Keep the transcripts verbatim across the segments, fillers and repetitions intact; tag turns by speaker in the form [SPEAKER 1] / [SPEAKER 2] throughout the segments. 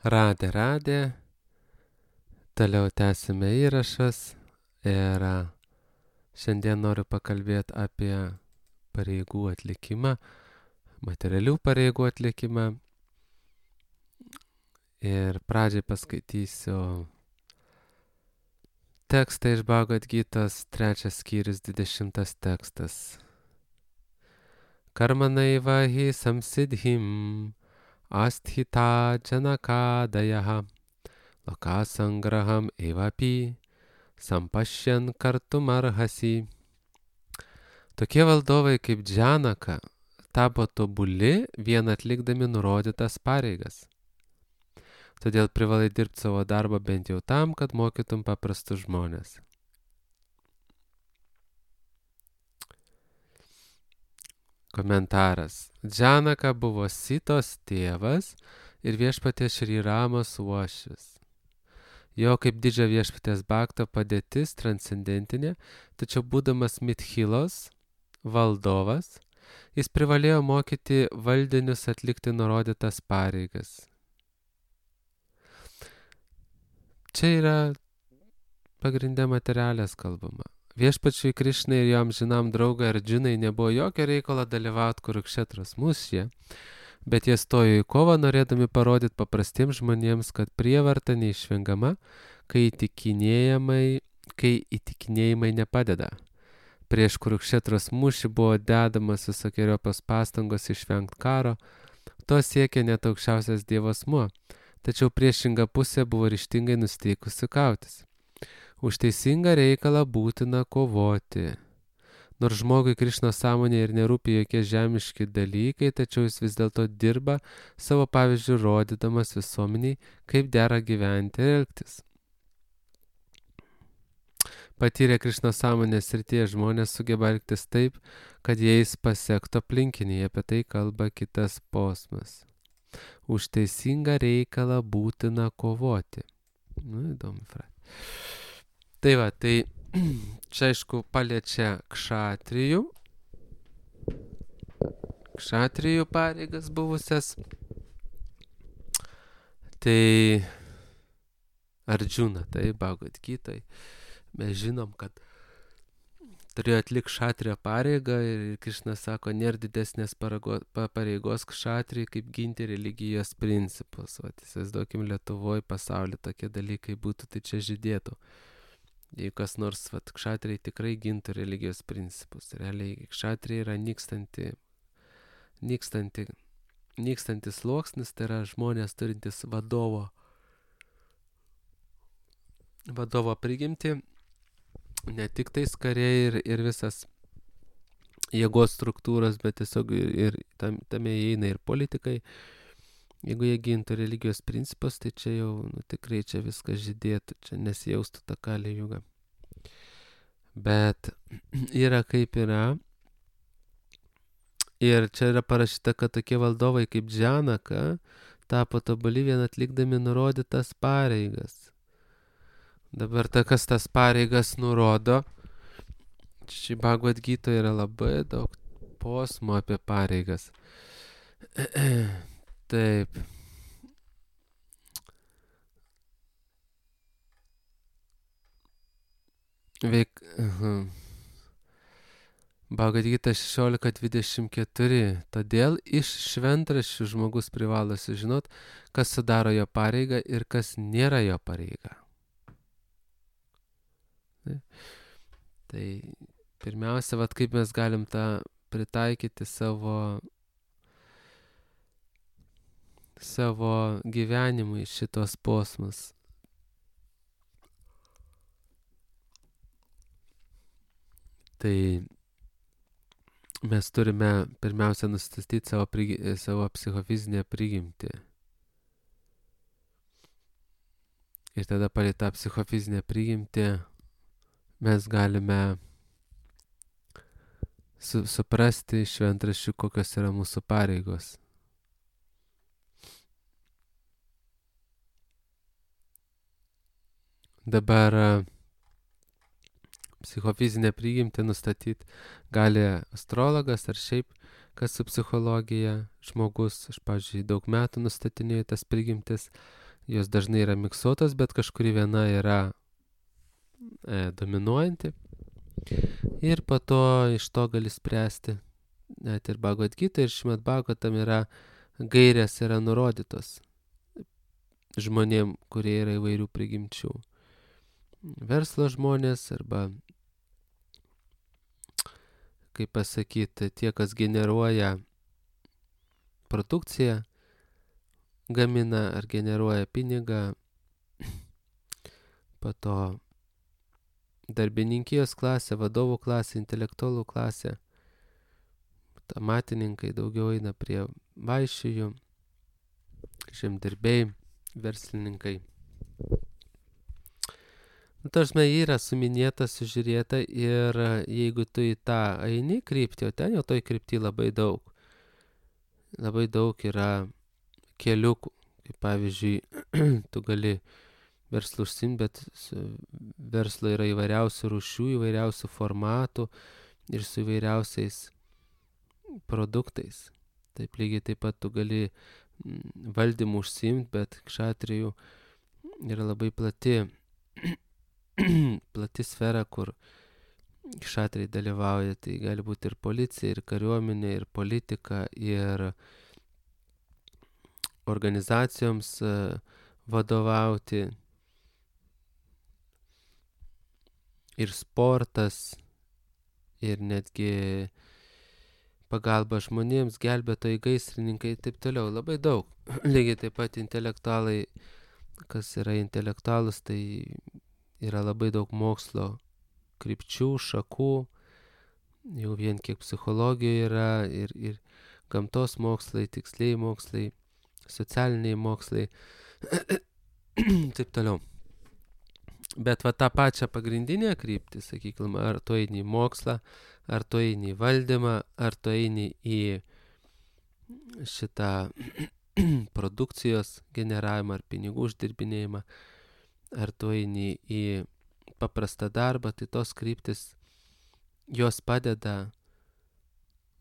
[SPEAKER 1] Radė, radė, toliau tęsime įrašas ir šiandien noriu pakalbėti apie pareigų atlikimą, materialių pareigų atlikimą ir pradžiai paskaitysiu tekstą iš Bhagavad Gitos, trečias skyrius, dvidešimtas tekstas. Karmanaiva hi samsidhim asthita janakadayaha lokasangraham evapi sampashyan kartumarhasi. Tokie valdovai kaip Džanaka tapo tobuli vien atlikdami nurodytas pareigas. Todėl privalai dirbti savo darbą bent jau tam, kad mokytum paprastus žmonės. Komentaras. Džanaka buvo Sitos tėvas ir viešpaties Šri Ramos uošvis. Jo kaip didžio viešpaties Bhakto padėtis transcendentinė, tačiau būdamas Mithilos valdovas, jis privalėjo mokyti valdinius atlikti nurodytas pareigas. Čia yra pagrindė materialės kalbama. Viešpačiui Krišnai ir jo amžinam draugui Ardžunai nebuvo jokio reikalo dalyvauti Kurukšetros mūšyje, bet jie stojo į kovą norėdami parodyti paprastiems žmonėms, kad prievarta neišvengama, kai įtikinėjimai, kai įtikinėjimai nepadeda. Prieš Kurukšetros mūšį buvo dedamas visokiojopos pastangos išvengti karo, to siekė net aukščiausias Dievo asmuo, tačiau priešinga pusė buvo ryžtingai nusteikusi kautis. Už teisingą reikalą būtina kovoti. Nors žmogui Krišnos sąmonė ir nerūpi jokie žemiški dalykai, tačiau jis vis dėlto dirba savo pavyzdžių rodydamas visuomeniai, kaip dera gyventi ir elgtis. Patyrę Krišnos sąmonės srityje žmonės sugeba elgtis taip, kad jais pasiektų aplinkiniai, apie tai kalba kitas posmas. Už teisingą reikalą būtina kovoti. Nu, įdomi frazė. Tai va, tai čia aišku paliečia kšatrijų, kšatrijų pareigas buvusias. Tai Ardžuna, tai Bhagavad Gitai. Mes žinom, kad turėjo atlikti kšatrijo pareigą ir Krišna sako, nėra didesnės pareigos kšatrijai, kaip ginti religijos principus. O įsivaizduokim, Lietuvoje pasaulyje tokie dalykai būtų, tai čia žydėtų. Jei kas nors, vat, kšatrijai tikrai gintų religijos principus. Realiai kšatrijai yra nykstanti, nykstanti, nykstantis sluoksnis, tai yra žmonės turintis vadovo, vadovo prigimtį, ne tik tais kariai ir, ir visas jėgos struktūros, bet tiesiog ir tam, tame įeina ir politikai. Jeigu jie gintų religijos principus, tai čia jau nu, tikrai čia viskas žydėtų, čia nesijaustų tą kalį jugą. Bet yra kaip yra. Ir čia yra parašyta, kad tokie valdovai kaip Džanaka tapo tobuli vien atlikdami nurodytas pareigas. Dabar ta, kas tas pareigas nurodo, šį Bhagavad Gitoje yra labai daug posmų apie pareigas. Taip. Veik... Uh-huh. Bhagavad Gita šešiolika dvidešimt keturi. Todėl iš šventraščių žmogus privalo sužinot, kas sudaro jo pareigą ir kas nėra jo pareiga. Tai, tai pirmiausia, vat kaip mes galim tą pritaikyti savo savo gyvenimui šitos posmus. Tai mes turime pirmiausia nustatyti savo, prigi, savo psichofizinę prigimtį. Ir tada palei tą psichofizinę prigimtį mes galime su, suprasti šventraščių, kokios yra mūsų pareigos. Dabar psichofizinę prigimtį nustatyti gali astrologas ar šiaip kas su psichologija žmogus. Aš, pavyzdžiui, daug metų nustatinėjau tas prigimtis jos dažnai yra miksuotos, bet kažkuri viena yra e, dominuojanti. Ir po to iš to gali spręsti. Net ir Bhagavad Gita ir Šrimad Bhagavatam yra gairės yra nurodytos žmonėm, kurie yra įvairių prigimčių. Verslo žmonės arba, kaip pasakyti, tie, kas generuoja produkciją, gamina ar generuoja pinigą, po to darbininkijos klasė, vadovų klasė, intelektualų klasė, amatininkai daugiau eina prie vaišijų, žemdirbiai, verslininkai. Nu, tarsme, yra suminėta, sužiūrėta ir jeigu tu į tą eini kryptį, o ten jau toj kryptį labai daug. Labai daug yra keliukų. Kaip pavyzdžiui, tu gali verslų užsimti, bet verslo yra įvairiausių rūšių, įvairiausių formatų ir su įvairiausiais produktais. Taip lygiai taip pat tu gali valdymų užsimti, bet kšatrijų yra labai plati plati sfera, kur kšatriai dalyvauja. Tai gali būti ir policija, ir kariuomenė, ir politika, ir organizacijoms vadovauti, ir sportas, ir netgi pagalba žmonėms, gelbėtojai, gaisrininkai ir taip toliau. Labai daug. Lygiai taip pat intelektualai, kas yra intelektualus, tai yra labai daug mokslo krypčių, šakų, jau vien kiek psichologija yra, ir, ir gamtos mokslai, tikslieji mokslai, socialiniai mokslai, taip toliau. Bet va tą pačią pagrindinę kryptį, sakykime, ar tu eini į mokslą, ar tu eini į valdymą, ar tu eini į šitą produkcijos generavimą ar pinigų uždirbinėjimą, ar tu eini į paprastą darbą, tai tos kryptis, jos padeda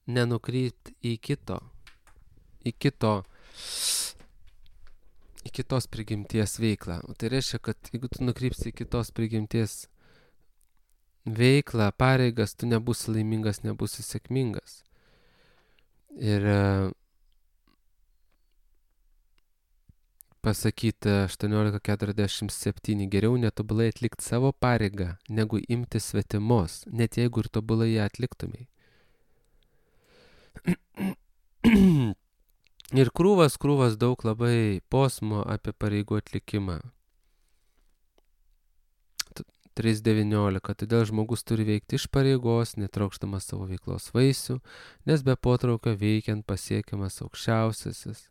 [SPEAKER 1] nenukrypti į kito, į kito, į kitos prigimties veiklą. O tai reiškia, kad jeigu tu nukrypsi į kitos prigimties veiklą, pareigas, tu nebūsi laimingas, nebūsi sėkmingas. Ir pasakyti aštuoniolika keturiasdešimt septyni, geriau netobulai atlikti savo pareigą, negu imti svetimos, net jeigu ir tobulai ją atliktumai. Ir krūvas, krūvas daug labai posmo apie pareigų atlikimą. trys devyniolika. Todėl žmogus turi veikti iš pareigos, netraukšdamas savo veiklos vaisių, nes be potraukio veikiant pasiekiamas aukščiausiasis.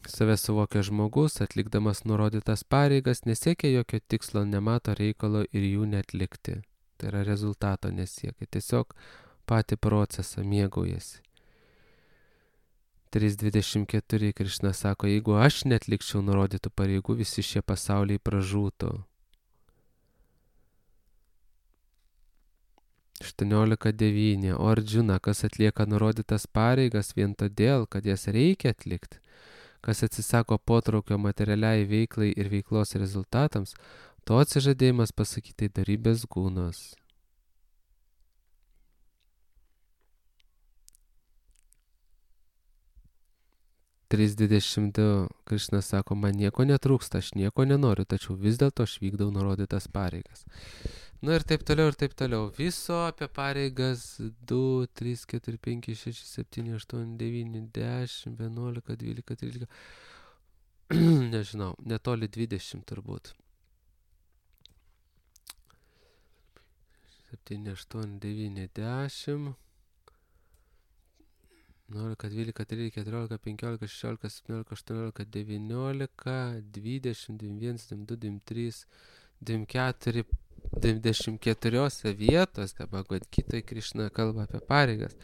[SPEAKER 1] Save suvokia žmogus, atlikdamas nurodytas pareigas, nesiekia jokio tikslo, nemato reikalo ir jų neatlikti. Tai yra rezultato nesiekia, tiesiog patį procesą mėgaujasi. trys dvidešimt keturi Krišna sako, jeigu aš netlikčiau nurodytų pareigų, visi šie pasauliai pražūtų. aštuoniolika devyni. O Ardžuna, kas atlieka nurodytas pareigas vien todėl, kad jas reikia atlikti, kas atsisako potraukio materialiai veiklai ir veiklos rezultatams, to atsižadėjimas pasakyti darybės gūnos. trys dvidešimt du Krišna sako, man nieko netrūksta, aš nieko nenoriu, tačiau vis dėlto aš vykdau nurodytas pareigas. Nu ir taip toliau, ir taip toliau. Viso apie pareigas du, trys, keturi, penki, šeši, septyni, aštuoni, devyni, dešimt, vienuolika, dvylika, trylika. Nežinau, netoli dvidešimt turbūt. septyni, aštuoni, devyni, dešimt. vienuolika, dvylika, trylika, keturiolika, penkiolika, šešiolika, septyniolika, aštuoniolika, devyniolika, dvidešimt, dvidešimt vienas, dvidešimt du, dvidešimt trys, dvidešimt keturi, dvidešimt keturiose vietose Bhagavad Gitoj Krišna kalba apie pareigas.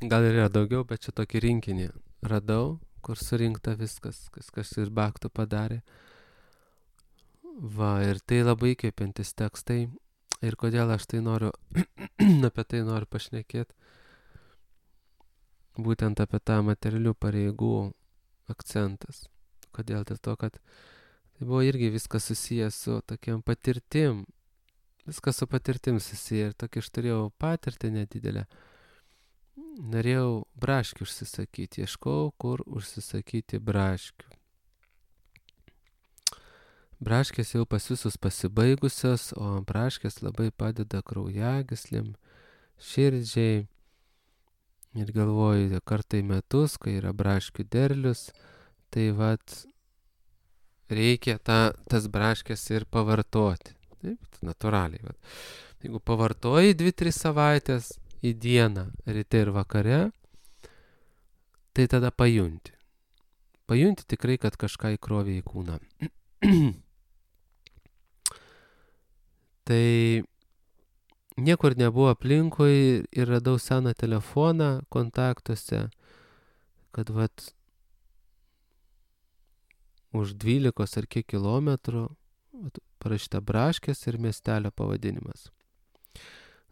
[SPEAKER 1] Gal yra daugiau, bet čia tokį rinkinį radau, kur surinkta viskas, kas kas ir bhaktų padarė. Va, ir tai labai įkvepiantys tekstai. Ir kodėl aš tai noriu, apie tai noriu pašnekėti. būtent apie tą materialių pareigų akcentas. Kodėl? Dėl to, kad tai buvo irgi viskas susijęs su tokiam patirtim. Viskas su patirtim susiję. Ir tokį aš turėjau patirtį nedidelę. Norėjau braškių užsisakyti. Ieškau, kur užsisakyti braškių. Braškės jau pas visus pasibaigusios, o braškės labai padeda kraujagyslėm, širdžiai. Ir galvoju, kartą į metus, kai yra braškių derlius, tai vat reikia ta, tas braškės ir pavartoti. Taip, natūraliai. Vat. Jeigu pavartoji dvi tris savaitės į dieną, ryte ir vakare, tai tada pajunti. Pajunti tikrai, kad kažką įkrovė į kūną. Tai niekur nebuvo aplinkui ir radau seną telefoną kontaktuose, kad vat už dvylikos ar kiek kilometrų parašyta braškės ir miestelio pavadinimas.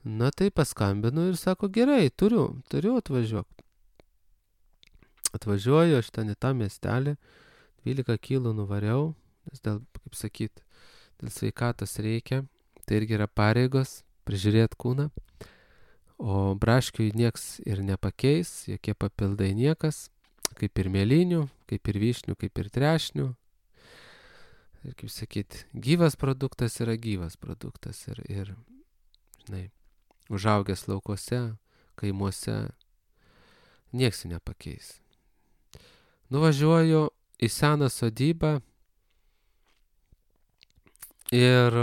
[SPEAKER 1] Na tai paskambinu ir sako, gerai, turiu, turiu atvažiuok. Atvažiuoju aš ten į tą miestelį, dvylika kilų nuvariau, nes dėl, kaip sakyt, dėl sveikatos reikia, tai irgi yra pareigos, prižiūrėti kūną, o braškiui nieks ir nepakeis, jokie papildai niekas, kaip ir mėlynių, kaip ir vyšnių, kaip ir trešnių. Ir kaip sakyt, gyvas produktas yra gyvas produktas ir, ir žinai, užaugęs laukuose, kaimuose, nieks jų nepakeis. Nuvažiuoju į seną sodybą ir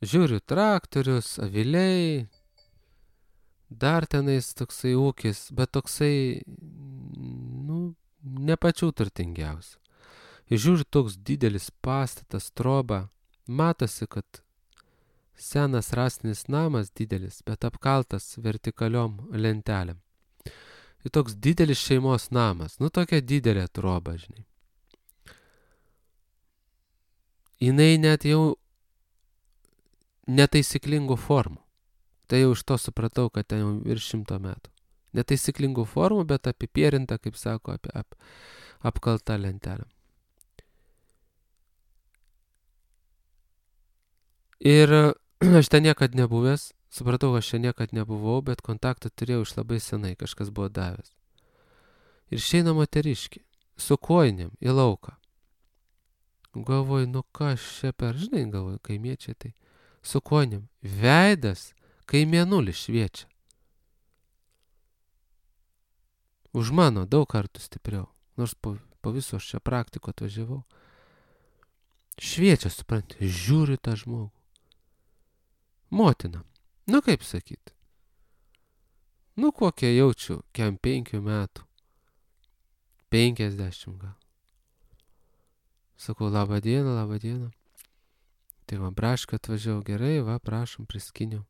[SPEAKER 1] žiūriu traktorius, aviliai, dar tenais toksai ūkis, bet toksai, nu, ne pačių turtingiausių. Ir žiūriu toks didelis pastatas, troba, matosi, kad senas rąstinis namas didelis, bet apkaltas vertikaliom lentelėm. Ir toks didelis šeimos namas, nu tokia didelė troba, žinai. Jinai net jau netaisyklingų formų. Tai jau iš to supratau, kad ten jau virš šimto metų. Netaisyklingų formų, bet apipierinta, kaip sako, apie, ap, apkalta lentelė. Ir aš ten niekad nebuvęs, supratau, aš čia niekad nebuvau, bet kontaktą turėjau iš labai senai, kažkas buvo davęs. Ir išeina moteriškė, su kojinėm į lauką. Galvoju, nu kas čia per, žinai, galvoju, kaimiečiai tai, su kojinėm. Veidas, kai mėnulis šviečia. Už mano daug kartų stipriau, nors po, po viso aš čia praktiko atvažiavau. Šviečia, supranti, žiūri tą žmogų. Motina, nu kaip sakyt. Nu kokie jaučiu, kem penkių metų. Penkiasdešimt gal. Sakau, labą dieną, labą dieną. Tai va, brašką atvažiavau, gerai, va, prašom, priskiniau.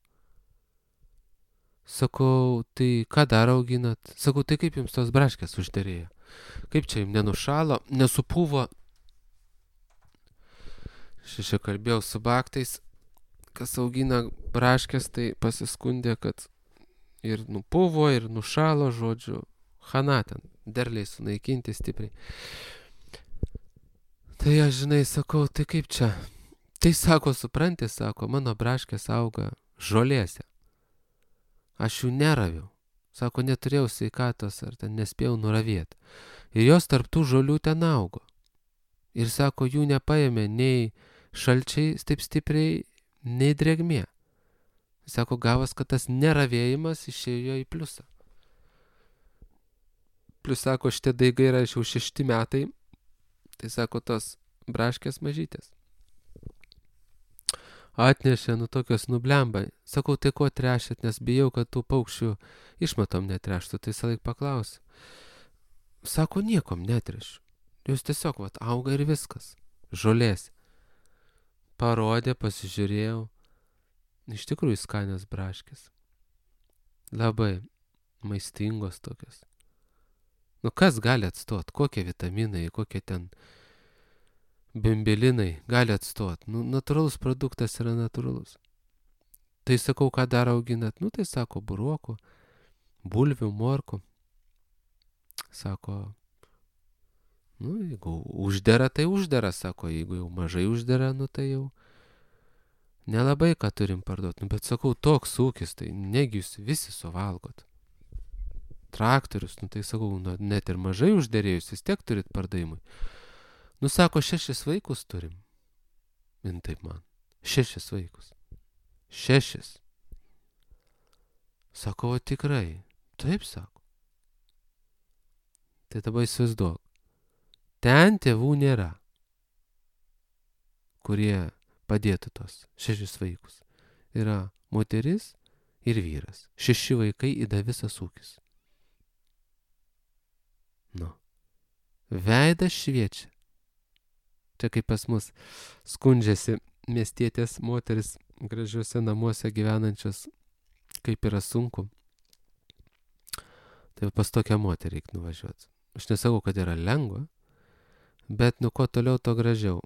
[SPEAKER 1] Sakau, tai ką dar auginat? Sakau, tai kaip jums tos braškės užderėjo? Kaip čia jums nenušalo, nesupūvo? Šešia kalbėjau su baktais, kas augina braškės, tai pasiskundė, kad ir nupūvo, ir nušalo, žodžiu, chana ten, derliai sunaikinti stipriai. Tai aš, žinai, sakau, tai kaip čia? Tai sako, supranti, sako, mano braškės auga žolėse. Aš jų neraviau. Sako, neturėjau sveikatos ar ten nespėjau nuravėti. Ir jos tarptų žolių ten augo. Ir sako, jų nepaėmė nei šalčiai taip stipriai, nei drėgmė. Sako, gavas, kad tas neravėjimas išėjo į pliusą. Plius, sako, šitie daigai yra jau šešti metai. Tai sako, tos braškės mažytės. Atnešė, nu tokios nublemba. Sakau, tai ko trešėt, nes bijau, kad tų paukščių išmatom netreštų. Tai visą laik paklausiu. Sako, niekom netrešiu. Jūs tiesiog, vat, auga ir viskas. Žolės. Parodė, pasižiūrėjau. Iš tikrųjų skanios braškės. Labai maistingos tokios. Nu kas gali atstot? Kokie vitaminai, kokie ten bimbelinai gali atstot? Nu, natūralus produktas yra natūralus. Tai sakau, ką dar auginat? Nu, tai sako, buruokų, bulvių, morkų. Sako, nu, jeigu uždera, tai uždera, sako, jeigu jau mažai uždera, nu, tai jau nelabai ką turim parduoti. Nu, bet sakau, toks ūkis, tai negi jūs visi suvalgot. Traktorius, nu, tai sakau, nu, net ir mažai užderėjus, vis tiek turit pardavimui. Nu, sako, šešis vaikus turim. In taip man. Šešis vaikus. Šešis. Sako, o tikrai. Taip, sako. Tai dabar įsivaizduok. Ten tėvų nėra, kurie padėtų tos šešis vaikus. Yra moteris ir vyras. Šeši vaikai įda visas ūkis. Nu. Veidas šviečia. Čia kaip pas mus skundžiasi miestietės moteris gražiuose namuose gyvenančios, kaip yra sunku. Tai pas tokią moterį reikia nuvažiuoti. Aš nesakau, kad yra lengva, bet nu kuo toliau, to gražiau.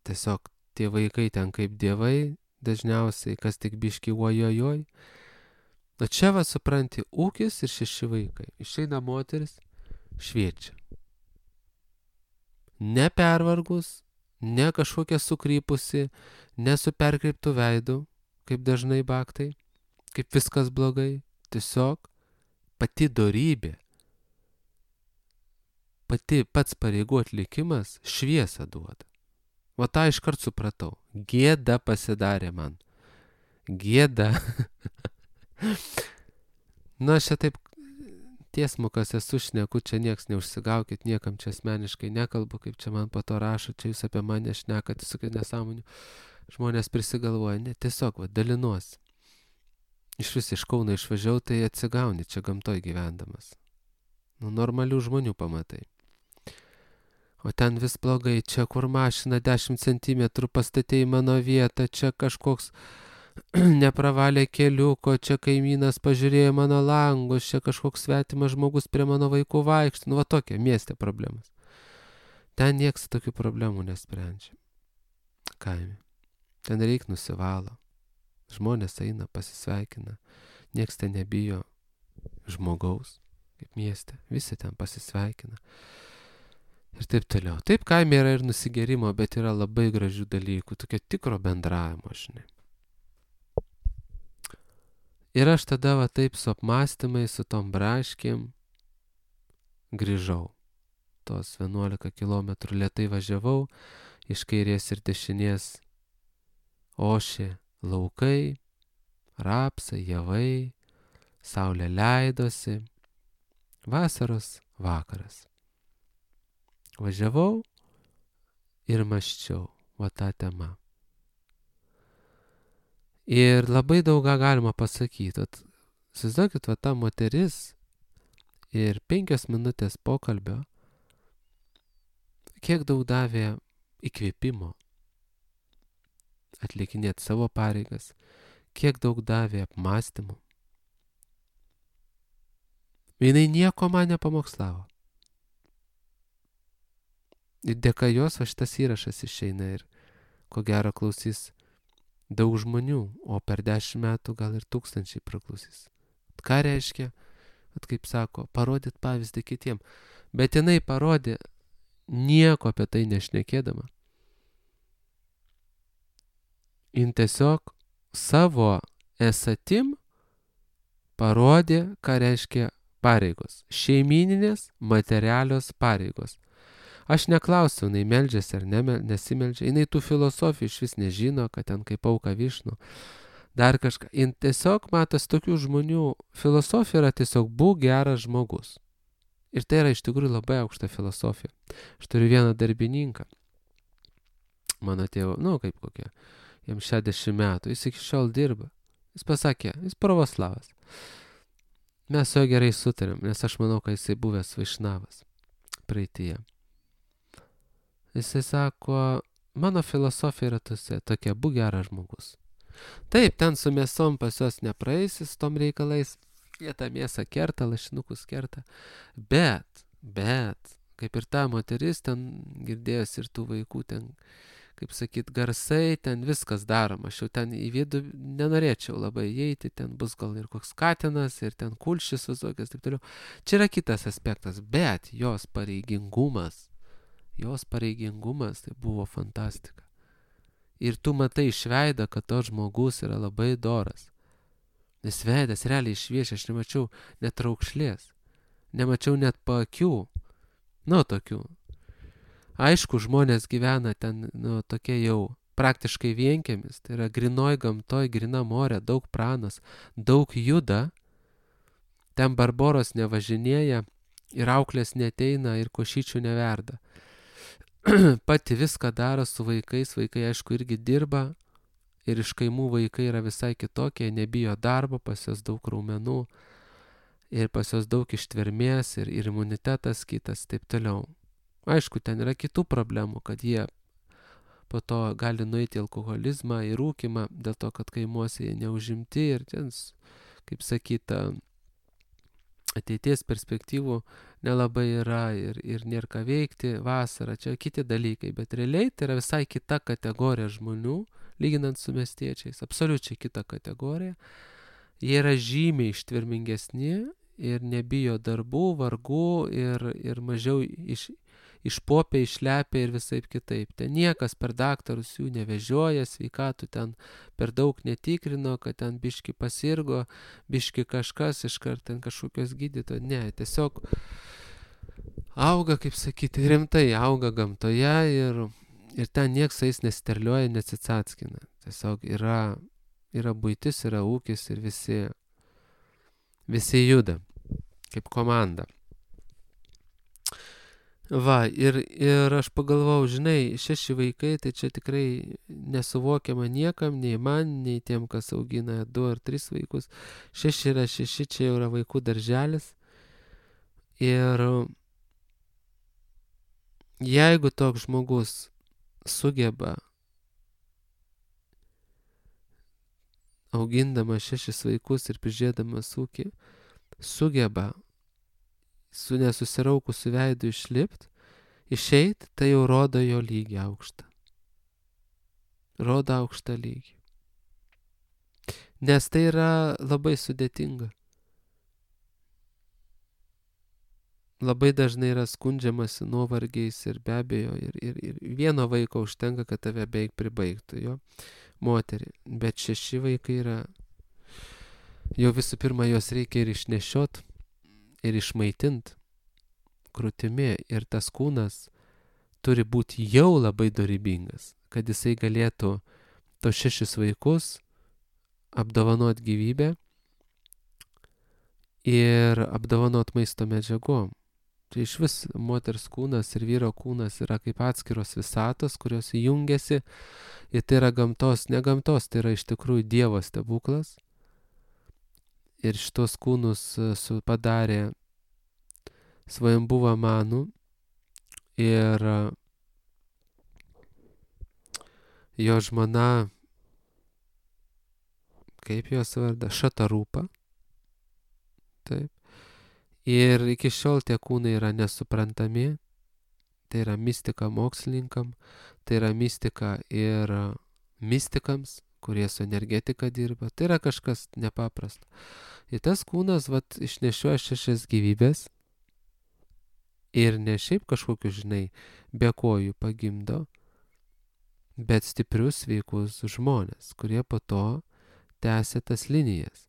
[SPEAKER 1] Tiesiog tie vaikai ten kaip dievai, dažniausiai, kas tik biški ojojoj. O čia va supranti, ūkis ir šeši vaikai. Išeina moteris, šviečia. Nepervargus, ne kažkokia sukrypusi, ne su perkreiptu veidu, kaip dažnai baktai, kaip viskas blogai. Tiesiog pati dorybė, pati pats pareigų atlikimas šviesą duoda. Va tą iškart supratau. Gėda pasidarė man. Gėda. Na, aš čia taip tiesmukas esu šneku, čia nieks neužsigaukit, niekam čia asmeniškai nekalbu, kaip čia man po to rašo, čia jūs apie mane šnekat, visokių nesąmonių. Žmonės prisigalvoja, ne, tiesiog, va, dalinuosi. Iš vis iš Kauno išvažiau, tai atsigauni čia gamtoj gyvendamas. Nu, normalių žmonių pamatai. O ten vis blogai, čia kur mašina dešimt centimetrų pastatė į mano vietą, čia kažkoks nepravalė keliuko, čia kaimynas pažiūrėjo mano langus, čia kažkoks svetimas žmogus prie mano vaikų vaikšto. Nu, va tokia mieste problemas. Ten nieks tokių problemų nesprendžia. Kaime. Ten reik nusivalo. Žmonės eina, pasisveikina. Nieks ten nebijo žmogaus, kaip mieste. Visi ten pasisveikina. Ir taip toliau. Taip, kaime yra ir nusigerimo, bet yra labai gražių dalykų. Tokio tikro bendravimo, žinai. Ir aš tada va taip su apmąstymais, su tom braškėm grįžau. Tos vienuolika kilometrų lėtai važiavau, iš kairės ir dešinės ošė laukai, rapsai, javai, saulė leidosi, vasaros vakaras. Važiavau ir mąsčiau va tą temą. Ir labai daug ką galima pasakyti. Įsivaizduokit, va ta moteris ir penkios minutės pokalbio, kiek daug davė įkvėpimo atlikinėti savo pareigas, kiek daug davė apmąstymų. Jinai nieko man nepamokslavo. Ir dėka jos va šitas įrašas išeina ir ko gero klausys daug žmonių, o per dešimt metų gal ir tūkstančiai praklausys. Ką reiškia, at kaip sako, parodyt pavyzdį kitiem. Bet jinai parodė nieko apie tai nešnekėdama. Jin tiesiog savo esatim parodė, ką reiškia pareigos. Šeimyninės, materialios pareigos. Aš neklausiu, jinai meldžiasi ar ne, nesimeldžia. Jinai tų filosofijų iš vis nežino, kad ten kaip auka višnų. Dar kažką. Jin tiesiog matos tokių žmonių. Filosofija yra tiesiog būk geras žmogus. Ir tai yra iš tikrųjų labai aukšta filosofija. Aš turiu vieną darbininką. Mano tėvo, nu kaip kokie, jam šešiasdešimt metų. Jis iki šiol dirba. Jis pasakė, jis pravoslavas. Mes su juo gerai sutarėm, nes aš manau, kad jisai buvęs vaišnavas praeityje. Jisai sako, mano filosofija yra tuose, tokia, būk geras žmogus. Taip, ten su mėsom pas juos nepraeisis tom reikalais, jie tą mėsą kerta, lašinukus kerta, bet, bet, kaip ir ta moteris ten girdėjosi ir tų vaikų ten kaip sakyt, garsai, ten viskas daroma. Aš jau ten į vidų nenorėčiau labai įeiti, ten bus gal ir koks katinas, ir ten kulšis visokias, taip toliau. Čia yra kitas aspektas, bet jos pareigingumas, jos pareigingumas, tai buvo fantastika. Ir tu matai iš veido, kad to žmogus yra labai doras. Nes veidas realiai šviečia, aš nemačiau net raukšlės, nemačiau net paakių, nu tokių. Aišku, žmonės gyvena ten, nu, tokie jau praktiškai vienkiemis, tai yra grinoj gamtoj, grina morė, daug pranas, daug juda, ten barboros nevažinėja ir auklės neteina ir košyčių neverda. Pati viską daro su vaikais, vaikai aišku irgi dirba ir iš kaimų vaikai yra visai kitokie, nebijo darbo, pas jos daug raumenų ir pas jos daug ištvermės ir, ir imunitetas kitas, taip toliau. Aišku, ten yra kitų problemų, kad jie po to gali nueiti į alkoholizmą, į rūkimą, dėl to, kad kaimuose jie neužimti ir ten, kaip sakyta, ateities perspektyvų nelabai yra ir, ir nėra ką veikti, vasara, čia kiti dalykai, bet realiai tai yra visai kita kategorija žmonių, lyginant su miestiečiais, absoliučiai kita kategorija. Jie yra žymiai ištvermingesni ir nebijo darbų, vargų ir, ir mažiau iš išpopė, išlepė ir visaip kitaip. Ten niekas per daktarus jų nevežioja, sveikatų ten per daug netikrino, kad ten biški pasirgo, biški kažkas, iškart ten kažkokios gydyto. Ne, tiesiog auga, kaip sakyti, rimtai auga gamtoje ir, ir ten nieks jais nesterliuoja, nesicatskina. Tiesiog yra, yra buitis, yra ūkis ir visi, visi juda kaip komanda. Va, ir, ir aš pagalvojau, žinai, šeši vaikai, tai čia tikrai nesuvokiama niekam, nei man, nei tiem, kas augina du ar tris vaikus. Šeši yra šeši, čia jau yra vaikų darželis. Ir jeigu toks žmogus sugeba, augindamas šešis vaikus ir prižiūrėdamas ūkį, sugeba su nesusiraukusiu veidu išlipt, išeit, tai jau rodo jo lygį aukštą. Rodo aukštą lygį. Nes tai yra labai sudėtinga. Labai dažnai yra skundžiamasi nuovargiais ir be abejo, ir, ir, ir vieno vaiko užtenka, kad tave beveik pribaigtų, jo, moterį. Bet šeši vaikai yra, jau visų pirma, jos reikia ir išnešiot, ir išmaitint krūtimi, ir tas kūnas turi būti jau labai dorybingas, kad jisai galėtų tos šešis vaikus apdovanot gyvybę ir apdovanot maisto medžiagom. Tai iš vis moters kūnas ir vyro kūnas yra kaip atskiros visatos, kurios jungiasi ir tai yra gamtos, ne gamtos, tai yra iš tikrųjų Dievo stebuklas. Ir šitos kūnus su padarė svajambuva Manu ir jo žmona, kaip jos varda, Šatarūpa. Taip. Ir iki šiol tie kūnai yra nesuprantami, tai yra mistika mokslininkam, tai yra mistika ir mistikams, kurie su energetika dirba, tai yra kažkas nepaprasto. Ir tas kūnas, vat, išnešioja šešias gyvybės ir ne šiaip kažkokiu, žinai, be kojų pagimdo, bet stiprius, sveikus žmonės, kurie po to tęsia tas linijas.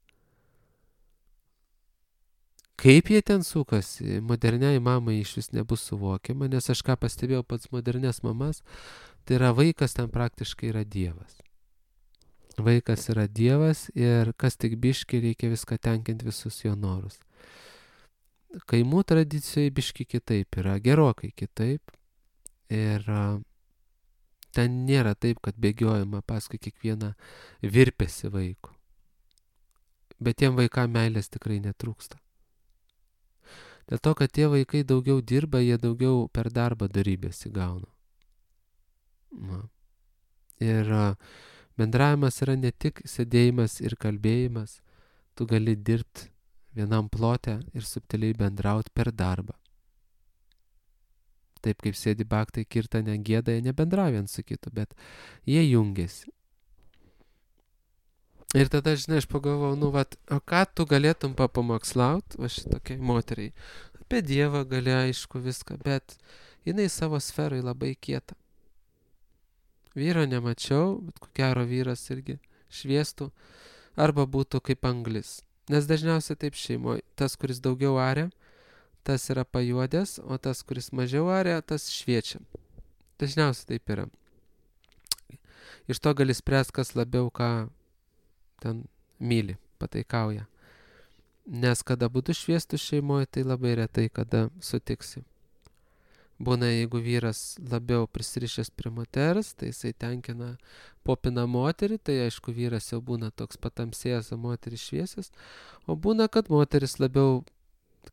[SPEAKER 1] Kaip jie ten sukasi, moderniai mamai iš vis nebus suvokiama, nes aš ką pastebėjau pats modernės mamas, tai yra vaikas ten praktiškai yra Dievas. Vaikas yra Dievas ir kas tik biški reikia viską tenkinti visus jo norus. Kaimų tradicijoje biški kitaip yra, gerokai kitaip. Ir ten nėra taip, kad bėgiojama paskui kiekvieną virpesį vaikų. Bet tiem vaikam meilės tikrai netrūksta. Dėl to, kad tie vaikai daugiau dirba, jie daugiau per darbą dorybės įgauna. Na. Ir bendravimas yra ne tik sėdėjimas ir kalbėjimas, tu gali dirbti vienam plote ir subtiliai bendrauti per darbą. Taip kaip sėdi baktai kirtane gėda, jie nebendrauja viens su kitu, bet jie jungiasi. Ir tada, žinai, aš pagalvojau, nu, vat, o ką tu galėtum papamokslaut, va šitokiai moteriai. Apie Dievą gali, aišku, viską, bet jinai savo sferai labai kieta. Vyro nemačiau, bet ko gero vyras irgi šviestų, arba būtų kaip anglis. Nes dažniausiai taip šeimoje, tas, kuris daugiau aria, tas yra pajuodęs, o tas, kuris mažiau aria, tas šviečia. Dažniausiai taip yra. Iš to gali spręsti, kas labiau ką ten myli, pataikauja. Nes kada būtų šviestų šeimoje, tai labai retai kada sutiksi. Būna, jeigu vyras labiau prisirišęs prie moters, tai jisai tenkina popina moterį, tai aišku, vyras jau būna toks patamsėjęs, o moteris šviesęs. O būna, kad moteris labiau,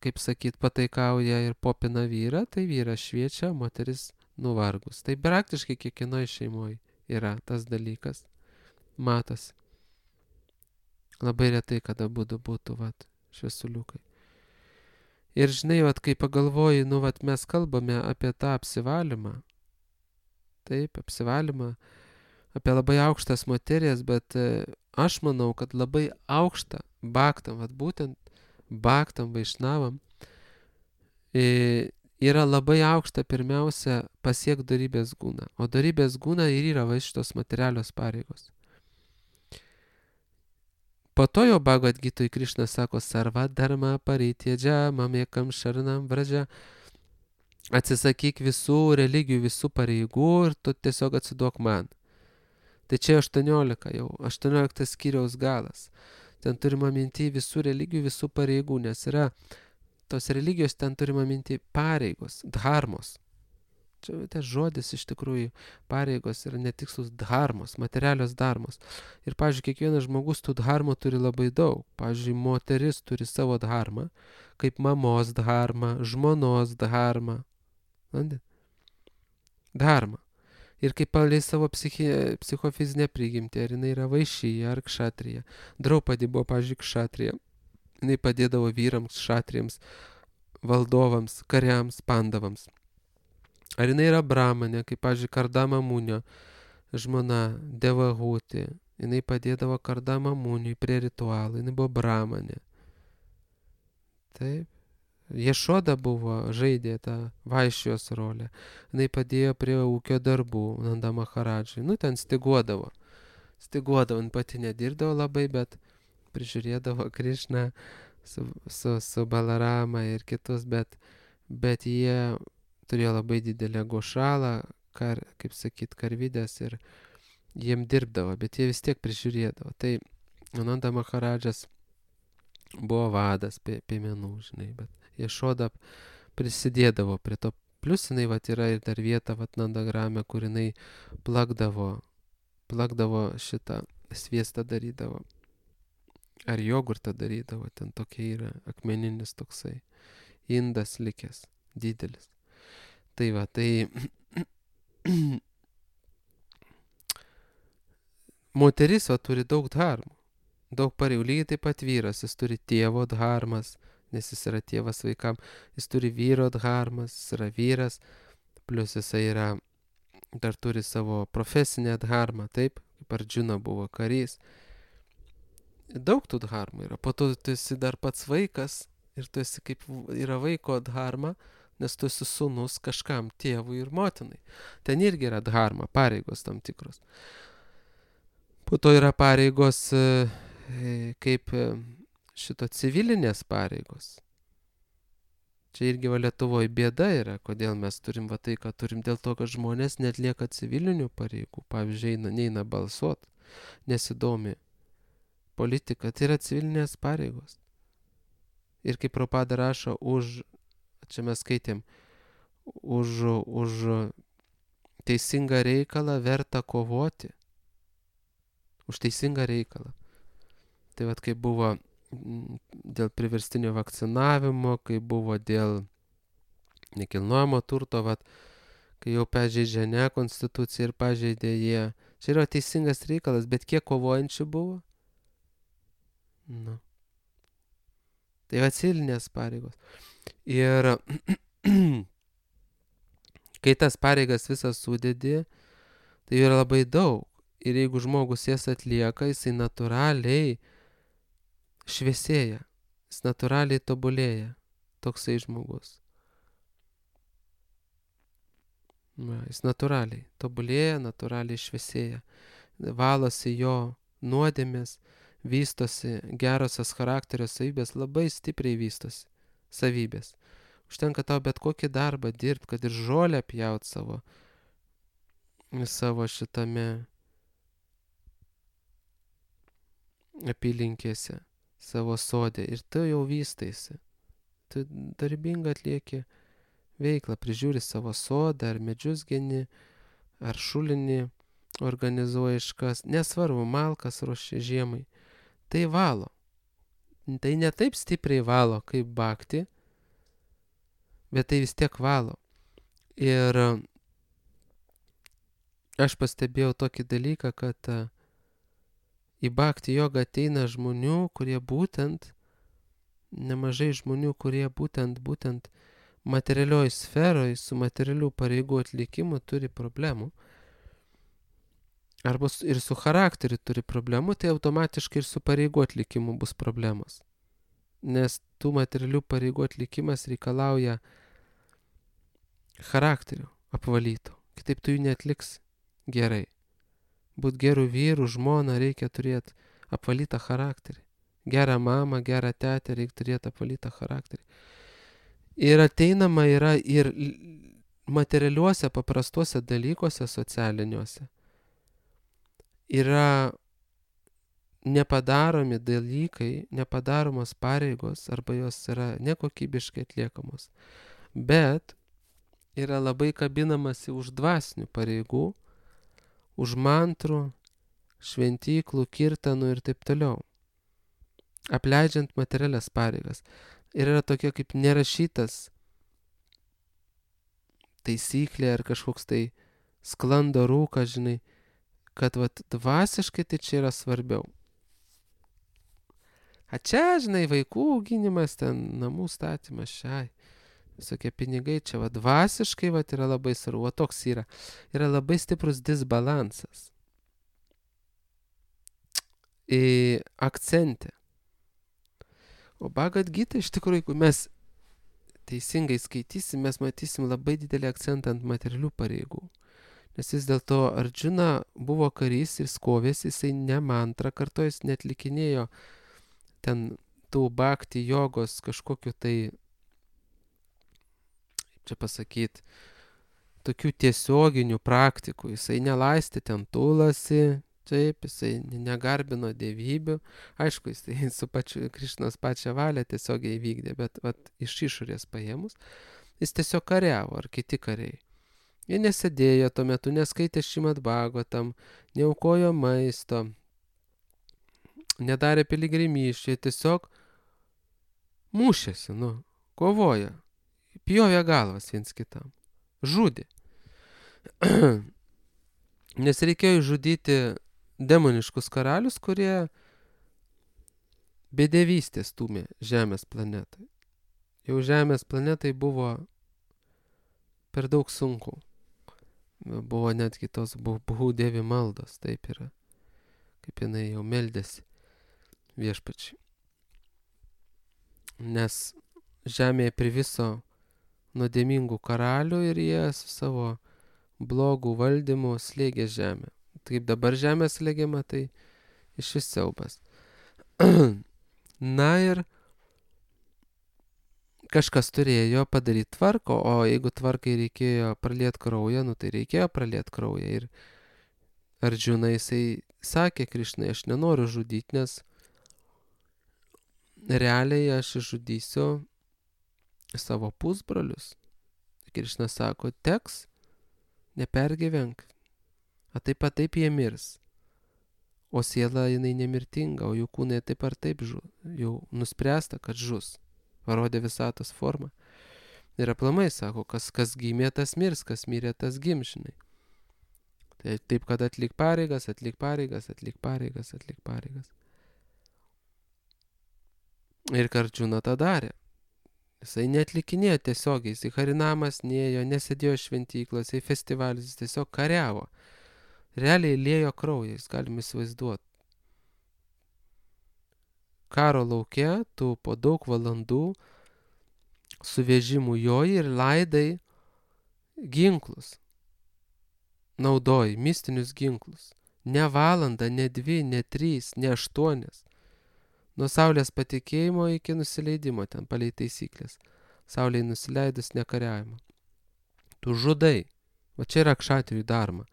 [SPEAKER 1] kaip sakyt, pataikauja ir popina vyrą, tai vyras šviečia, moteris nuvargus. Tai praktiškai kiekvienoje šeimoje yra tas dalykas. Matosi. Labai retai, kada būtų būtų, vat, šviesuliukai. Ir žinai, vat, kai pagalvoji, nu, vat, mes kalbame apie tą apsivalymą. Taip, apsivalymą, apie labai aukštas materijas, bet e, aš manau, kad labai aukštą bhaktam, vat, būtent bhaktam, vaišnavam, e, yra labai aukšta pirmiausia pasiek dorybės gūną. O dorybės gūna ir yra va šitos materialios pareigos. Po to jo Bhagavad Gitoj Krišna sako sarva dharma paritėdžia mamekam šarnam vražia. Atsisakyk visų religijų, visų pareigų ir tu tiesiog atsiduok man. Tai čia aštuoniolika jau, aštuonioliktas skyriaus galas. Ten turima minti visų religijų, visų pareigų, nes yra tos religijos, ten turima minti pareigos, dharmos. Čia tas žodis iš tikrųjų pareigos yra netikslus dharmos, materialios dharmos. Ir, pavyzdžiui, kiekvienas žmogus tų dharmų turi labai daug. Pavyzdžiui, moteris turi savo dharmą, kaip mamos dharmą, žmonos dharmą. Dharmą. Ir kaip palei savo psichi, psichofizinę prigimtį, ar jinai yra vaišyja ar kšatrija. Draupadi buvo, pavyzdžiui, kšatrija. Jinai padėdavo vyrams, kšatrijams, valdovams, kariams, pandavams. Ar jinai yra brahmanė, kaip, pavyzdžiui, Kardama Munio žmona Devahutė. Jinai padėdavo Kardama Muniui prie ritualų. Jinai buvo brahmanė. Taip. Ješoda buvo, žaidė tą vaišijos rolę. Jinai padėjo prie ūkio darbų Nanda Maharadžai. Nu, ten stiguodavo. Stiguodavo, jin pati nedirbdavo labai, bet prižiūrėdavo Krišną su, su, su Balarama ir kitus, bet, bet jie turėjo labai didelę gošalą, kar, kaip sakyt, karvidės ir jiem dirbdavo, bet jie vis tiek prižiūrėdavo. Tai Nanda Maharadžas buvo vadas piemenų, žinai, bet Ješoda prisidėdavo prie to. Plius jinai vat, yra ir dar vieta vat, Nandagrame, kur jinai plakdavo, plakdavo šitą sviestą darydavo. Ar jogurtą darydavo, ten tokia yra akmeninis toksai indas likęs, didelis. Tai va, tai moteris va, turi daug dharmų, daug pareigų, lygiai taip pat vyras, jis turi tėvo dharmas, nes jis yra tėvas vaikam, jis turi vyro dharmas, jis yra vyras, plus jisai yra, dar turi savo profesinę dharmą, taip, kaip Arjuna buvo karys. Daug tų dharmų yra, po to tu esi dar pats vaikas ir tu esi kaip yra vaiko dharma, nes tu esi sūnus kažkam tėvui ir motinai. Ten irgi yra dharma, pareigos tam tikros. Po to yra pareigos kaip šito civilinės pareigos. Čia irgi va Lietuvoje bėda yra, kodėl mes turim va tai, ką turim, dėl to, kad žmonės netlieka civilinių pareigų. Pavyzdžiui, eina, neina balsuot, nesidomi politika, tai yra civilinės pareigos. Ir kaip Prabhupada rašo, už čia mes skaitėm, už, už teisingą reikalą verta kovoti. Už teisingą reikalą. Tai vat kaip buvo dėl priverstinio vakcinavimo, kai buvo dėl nekilnojamo turto, vat, kai jau pažeidžia ne konstituciją ir pažeidė jie. Čia yra teisingas reikalas, bet kiek kovojančių buvo? Nu. Tai va civilinės pareigos. Ir Kai tas pareigas visas sudedi, tai yra labai daug. Ir jeigu žmogus jas atlieka, jisai natūraliai šviesėja, jis natūraliai tobulėja, toksai žmogus. Va, jis natūraliai tobulėja, natūraliai šviesėja, valosi jo nuodėmės, vystosi gerosios charakterio savybės, labai stipriai vystosi savybės. Užtenka tau bet kokį darbą dirbti, kad ir žolę pjaut savo, savo šitame apylinkėse, savo sode, ir tu jau vystaisi. Tu darbingai atlieki veiklą, prižiūri savo sodą, ar medžius geni, ar šulinį organizuoji iškas, nesvarbu, malkas ruoši žiemai. Tai valo. Tai ne taip stipriai valo kaip bakti, bet tai vis tiek valo. Ir aš pastebėjau tokį dalyką, kad į bakti jogą ateina žmonių, kurie būtent, nemažai žmonių, kurie būtent, būtent materialioj sferoj su materialių pareigų atlikimu turi problemų. Arba ir su charakteriu turi problemų, tai automatiškai ir su pareigų atlikimu bus problemos. Nes tų materialių pareigų atlikimas reikalauja charakterių apvalytų. Kitaip tu jų neatliks gerai. Būt gerų vyrų, žmona reikia turėti apvalytą charakterį. Gerą mamą, gerą tetę reikia turėti apvalytą charakterį. Ir ateinama yra ir materialiuose, paprastuose dalykuose socialiniuose. Yra nepadaromi dalykai, nepadaromos pareigos, arba jos yra nekokybiškai atliekamos. Bet yra labai kabinamasi už dvasinių pareigų, už mantrų, šventyklų, kirtanų ir taip toliau, apleidžiant materialias pareigas. Ir yra tokia kaip nerašytas taisyklė ar kažkoks tai sklando rūkas, žinai, kad vat, dvasiškai tai čia yra svarbiau. A čia, žinai, vaikų auginimas, ten namų statymas, šiai, visokie pinigai, čia va dvasiškai va yra labai svarbu, va toks yra. Yra labai stiprus disbalansas. Į akcentę. O Bhagavad Gita iš tikrųjų, jeigu mes teisingai skaitysim, mes matysim labai didelį akcentą ant materialių pareigų. Nes vis dėlto Arjuna buvo karys ir skovėsi, jisai ne mantrą kartojo, jis netlikinėjo ten tų bhakti jogos kažkokiu tai, čia pasakyti, tokių tiesioginių praktikų. Jisai nelaistė ten tulasi, taip, jisai negarbino dievybių. Aišku, jisai su pačiu Krišnos pačią valią tiesiogiai įvykdė, bet vat, iš išorės paėmus, jis tiesiog kariavo, ar kiti kariai. Jie nesėdėjo tuo metu, neskaitė Šrimad Bhagavatam, neaukojo maisto, nedarė piligrimysčių, tiesiog mušėsi, nu, kovojo, pjovė galvas viens kitam, žudė. Nes reikėjo žudyti demoniškus karalius, kurie bedevystės stūmė Žemės planetai. Jau Žemės planetai buvo per daug sunku. Buvo netgi tos Bhū Devi maldos, taip yra, kaip jinai jau meldėsi viešpačiai. Nes žemėje priviso nuodėmingų karalių ir jie su savo blogų valdymų slėgė žemę. Kaip dabar žemė slėgiama, tai iš vis siaubas. Na ir kažkas turėjo padaryti tvarką, o jeigu tvarkai reikėjo praliet kraują, nu tai reikėjo praliet kraują. Ir Arjuna jisai sakė Krišnai, aš nenoriu žudyti, nes realiai aš žudysiu savo pusbrolius. Krišna sako, teks, nepergyvenk, a taip pat taip jie mirs. O siela jinai nemirtinga, o jų kūnai taip ar taip žu, jau nuspręsta, kad žus. Parodė visatos formą. Ir aplamai sako, kas, kas gimė, tas mirs, kas mirė, tas gimšinai. Tai taip, kad atlik pareigas, atlik pareigas, atlik pareigas, atlik pareigas. Ir Arjuna tą darė. Jisai netlikinėjo tiesiogiai, jisai harinamas nėjo, nesėdėjo šventyklose, į festivalius, jis tiesiog kariavo. Realiai lėjo kraują, jis galim įsivaizduoti. Karo lauke tu po daug valandų su vežimu joji ir laidai ginklus. Naudoji mistinius ginklus. Ne valandą, ne dvi, ne trys, ne aštuonias. Nuo saulės patekėjimo iki nusileidimo ten palei taisyklės. Saulei nusileidus nekariavimo. Tu žudai. Va čia yra kšatrijų dharma.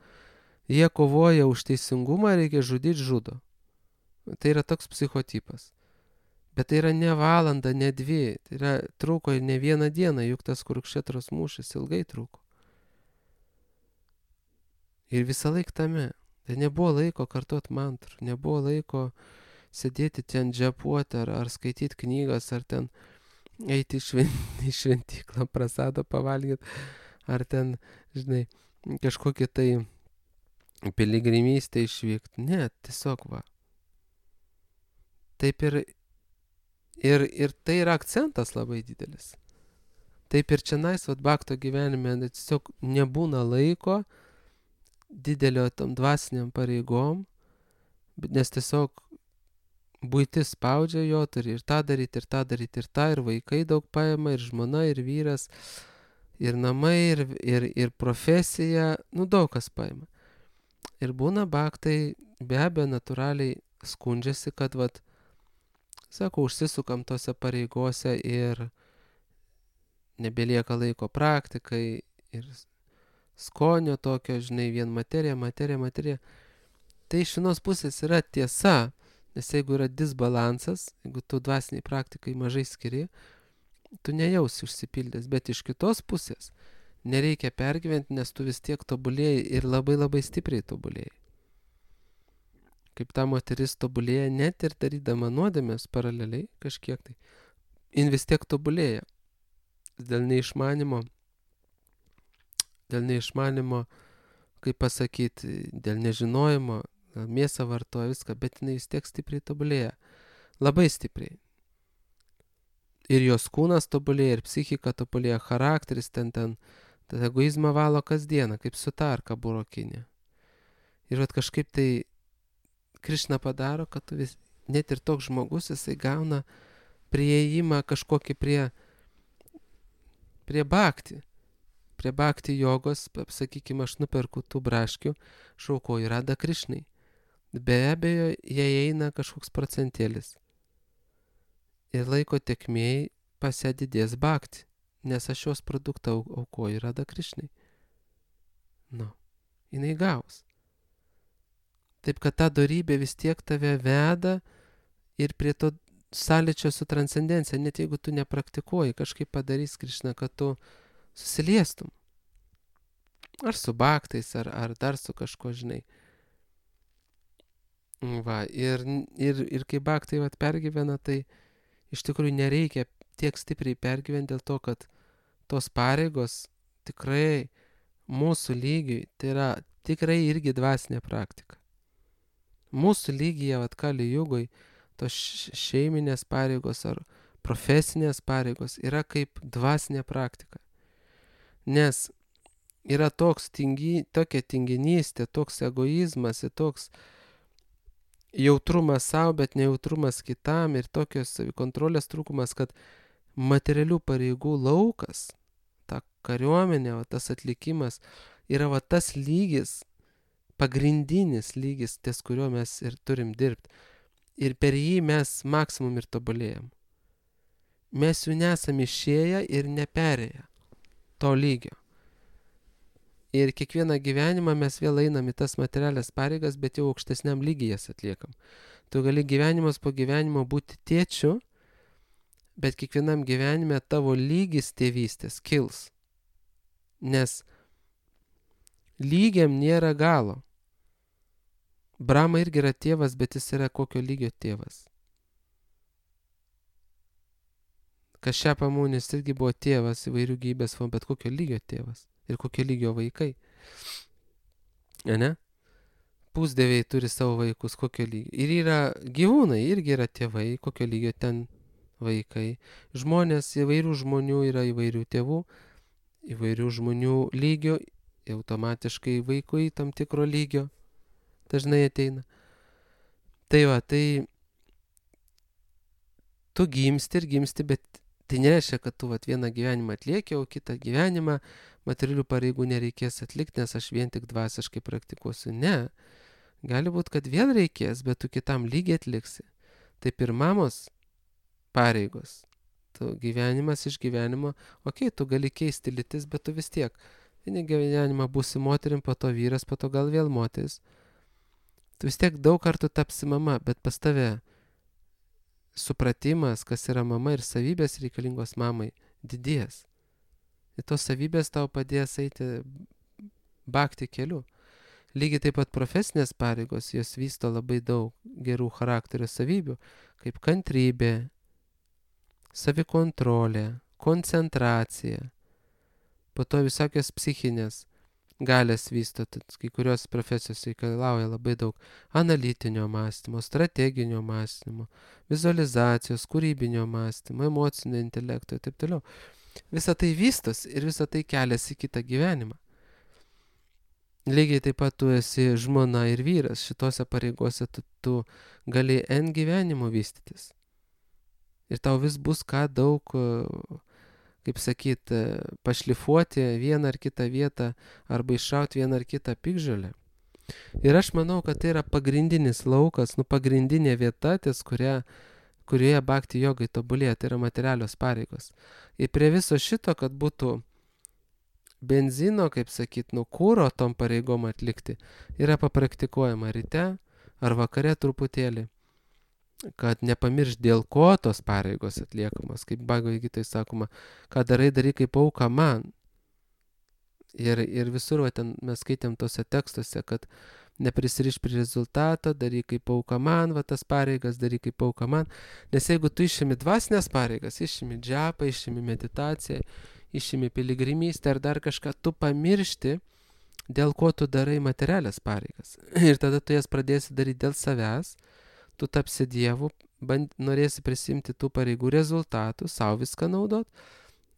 [SPEAKER 1] Jie kovoja už teisingumą, reikia žudyti, žudo. Tai yra toks psichotipas. Bet tai yra ne valanda, ne dvi. Tai yra truko ir ne vieną dieną, juk tas Kurukšetros mūšis ilgai truko. Ir visą laiką tame. Tai nebuvo laiko kartuot mantrų, nebuvo laiko sėdėti ten džepuoti ar, ar skaityti knygas, ar ten eiti į švent, šventyklą, prasado pavalgyti, ar ten, žinai, kažkokį tai piligrimystę išvykti. Ne, tiesiog va. Taip ir, ir, ir tai yra akcentas labai didelis. Taip ir čia nais, vat bakto gyvenime, tiesiog nebūna laiko didelio tam dvasiniam pareigom, nes tiesiog buitis spaudžia, jo turi ir tą daryti, ir tą daryti, ir tą, ir vaikai daug paima, ir žmona, ir vyras, ir namai, ir, ir, ir profesija, nu daug kas paima. Ir būna baktai, be abejo, natūraliai skundžiasi, kad, vat, sako, užsisukam tose pareigose ir nebelieka laiko praktikai, ir skonio tokio, žinai, vien materija, materija, materija. Tai iš vienos pusės yra tiesa, nes jeigu yra disbalansas, jeigu tu dvasiniai praktikai mažai skiri, tu nejausi užsipildęs, bet iš kitos pusės nereikia pergyventi, nes tu vis tiek tobulėjai ir labai labai stipriai tobulėjai. Kaip ta moteris tobulėja, net ir darydama nuodėmės paraleliai kažkiek tai, jin vis tiek tobulėja. Dėl neišmanimo, dėl neišmanimo, kaip pasakyti, dėl nežinojimo, mėsą vartoja viską, bet jinai vis tiek stipriai tobulėja. Labai stipriai. Ir jos kūnas tobulėja, ir psichika tobulėja, charakteris ten ten, tad egoizmą valo kasdieną, kaip sutarka burokinė. Ir vat kažkaip tai Krišna padaro, kad tu vis, net ir toks žmogus, jisai gauna prieėjimą kažkokį prie, prie bhakti. Prie bhakti jogos, sakykime, aš nuperku tų braškių, šaukoju Radha Krišnai. Be abejo, jie eina kažkoks procentėlis. Ir laiko tekmėj pas ją didės bhakti, nes aš jos produktą aukoju Radha Krišnai. Nu, jinai gaus. Taip, kad ta dorybė vis tiek tave veda ir prie to sąlyčio su transcendencija, net jeigu tu nepraktikuoji, kažkaip padarys Krišna, kad tu susiliestum. Ar su bhaktais, ar, ar dar su kažko, žinai. Va, ir, ir, ir kai bhaktai vat pergyvena, tai iš tikrųjų nereikia tiek stipriai pergyventi dėl to, kad tos pareigos tikrai mūsų lygiui, tai yra tikrai irgi dvasinė praktika. Mūsų lygyje, vat Kali Jugoj, tos šeiminės pareigos ar profesinės pareigos yra kaip dvasinė praktika. Nes yra toks tingi, tokia tinginystė, toks egoizmas ir toks jautrumas savo, bet nejautrumas kitam ir tokios savikontrolės trūkumas, kad materialių pareigų laukas, ta kariuomenė, va, tas atlikimas yra va, tas lygis, pagrindinis lygis, ties kurio mes ir turim dirbti. Ir per jį mes maksimum ir tobulėjam. Mes jų nesam išėję ir neperėję to lygio. Ir kiekvieną gyvenimą mes vėl einam į tas materialias pareigas, bet jau aukštesniam lygiai jas atliekam. Tu gali gyvenimas po gyvenimo būti tėčiu, bet kiekvienam gyvenime tavo lygis tėvystės kils. Nes lygiam nėra galo. Brahma irgi yra tėvas, bet jis yra kokio lygio tėvas. Kašepa Munis irgi buvo tėvas įvairių gyvybės formų, bet kokio lygio tėvas. Ir kokio lygio vaikai. Ne? Pusdieviai turi savo vaikus, kokio lygio. Ir yra gyvūnai, irgi yra tėvai, kokio lygio ten vaikai. Žmonės, įvairių žmonių yra įvairių tėvų, įvairių žmonių lygio, automatiškai vaikui tam tikro lygio dažnai ateina. Tai va, tai tu gimsti ir gimsti, bet tai nereiškia, kad tu vat, vieną gyvenimą atlieki, o kitą gyvenimą materialių pareigų nereikės atlikti, nes aš vien tik dvasiškai praktikuosiu. Ne. Gali būti, kad vėl reikės, bet tu kitam lygiai atliksi. Taip ir mamos pareigos. Tu gyvenimas iš gyvenimo, okei, okay, tu gali keisti lytis, bet tu vis tiek. Vieną gyvenimą būsi moterim, po to vyras, po to gal vėl moteris. Tu vis tiek daug kartų tapsi mama, bet pas tave supratimas, kas yra mama ir savybės reikalingos mamai, didės. Ir tos savybės tau padės eiti bhakti keliu. Lygiai taip pat profesinės pareigos, jos vysto labai daug gerų charakterio savybių, kaip kantrybė, savikontrolė, koncentracija, po to visokios psichinės galės vysto, kai kurios profesijos reikalauja labai daug analitinio mąstymo, strateginio mąstymo, vizualizacijos, kūrybinio mąstymo, emocinio intelekto ir taip toliau. Visa tai vystos ir visa tai keliasi į kitą gyvenimą. Lygiai taip pat tu esi žmona ir vyras, šitose pareigose tu, tu gali N gyvenimo vystytis. Ir tau vis bus ką daug, kaip sakyt, pašlifuoti vieną ar kitą vietą arba iššauti vieną ar kitą piktžolę. Ir aš manau, kad tai yra pagrindinis laukas, nu pagrindinė vieta, ties kuria, kurioje bhakti jogai tobulėja, tai yra materialios pareigos. Ir prie viso šito, kad būtų benzino, kaip sakyt, nu kūro tom pareigom atlikti, yra papraktikuojama ryte ar vakare truputėlį, kad nepamirš dėl ko tos pareigos atliekamos, kaip Bhagavad Gitoj sakoma, ką darai, darai kaip auka man. Ir, ir visur, va, ten mes skaitėm tose tekstuose, kad neprisiriš prie rezultato, daryk kaip auka man, va tas pareigas, daryk kaip auka man. Nes jeigu tu išimi dvasinės pareigas, išimi džapą, išimi meditaciją, išimi piligrimystę ar dar kažką, tu pamiršti, dėl ko tu darai materialias pareigas. Ir tada tu jas pradėsi daryti dėl savęs, tu tapsi dievu, band, norėsi prisimti tų pareigų rezultatų, savo viską naudot,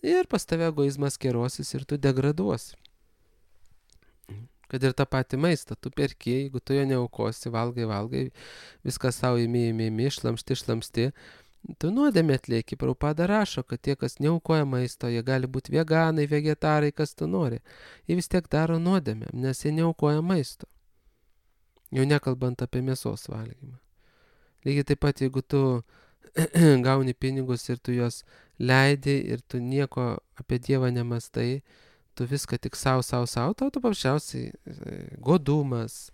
[SPEAKER 1] ir pas tave egoizmas kerosis ir tu degraduosi. Kad ir tą patį maistą, tu perki, jeigu tu jo neaukosi, valgai, valgai, viską savo imi, imi, imi, šlamšti, šlamšti, tu nuodėmę atlieki. Prabhupada rašo, kad tie, kas neaukoja maisto, jie gali būti veganai, vegetarai, kas tu nori. Jie vis tiek daro nuodėmę, nes jie neaukoja maisto. Jau nekalbant apie mėsos valgymą. Lygiai taip pat, jeigu tu gauni pinigus ir tu juos leidi ir tu nieko apie Dievą nemastai, tu viską tik savo, savo, savo, tau tu paprasčiausiai godumas,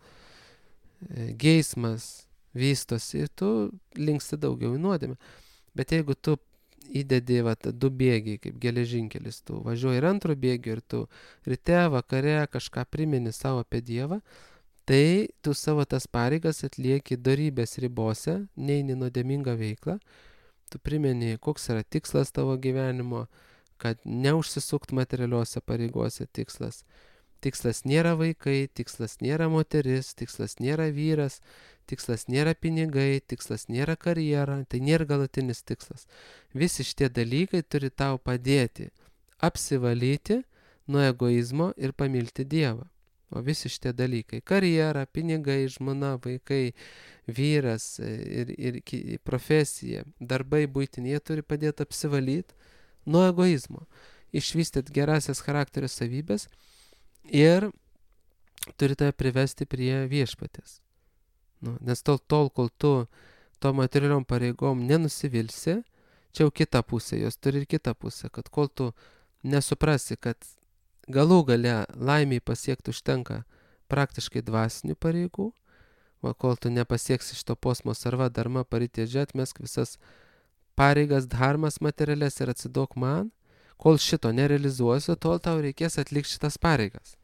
[SPEAKER 1] geismas vystosi ir tu linksti daugiau į nuodėmę. Bet jeigu tu įdedi va, du bėgiai, kaip geležinkelis, tu važiuoji ir antro bėgio ir tu ryte, vakare kažką primeni savo apie Dievą, tai tu savo tas pareigas atlieki dorybės ribose, neini nuodėmingą veiklą, tu primeni, koks yra tikslas tavo gyvenimo, kad neužsisukt materialiuose pareigose tikslas. Tikslas nėra vaikai, tikslas nėra moteris, tikslas nėra vyras, tikslas nėra pinigai, tikslas nėra karjera, tai nėra galutinis tikslas. Visi šitie dalykai turi tau padėti apsivalyti nuo egoizmo ir pamilti Dievą. O visi šitie dalykai, karjera, pinigai, žmona, vaikai, vyras ir, ir profesija, darbai buitiniai, jie turi padėti apsivalyti nuo egoizmo, išvystyti gerasias charakterio savybės ir turi tave privesti prie viešpatės. Nu, nes tol, tol, kol tu to materialiom pareigom nenusivilsi, čia jau kita pusė, jos turi ir kita pusė, kad kol tu nesuprasi, kad galų gale laimiai pasiekti užtenka praktiškai dvasinių pareigų, o kol tu nepasieksi šito posmo sarva dharma paritėdžia, atmesk visas pareigas, dharmas materialės ir atsidok man, kol šito nerealizuosiu, tol tau reikės atlikti šitas pareigas.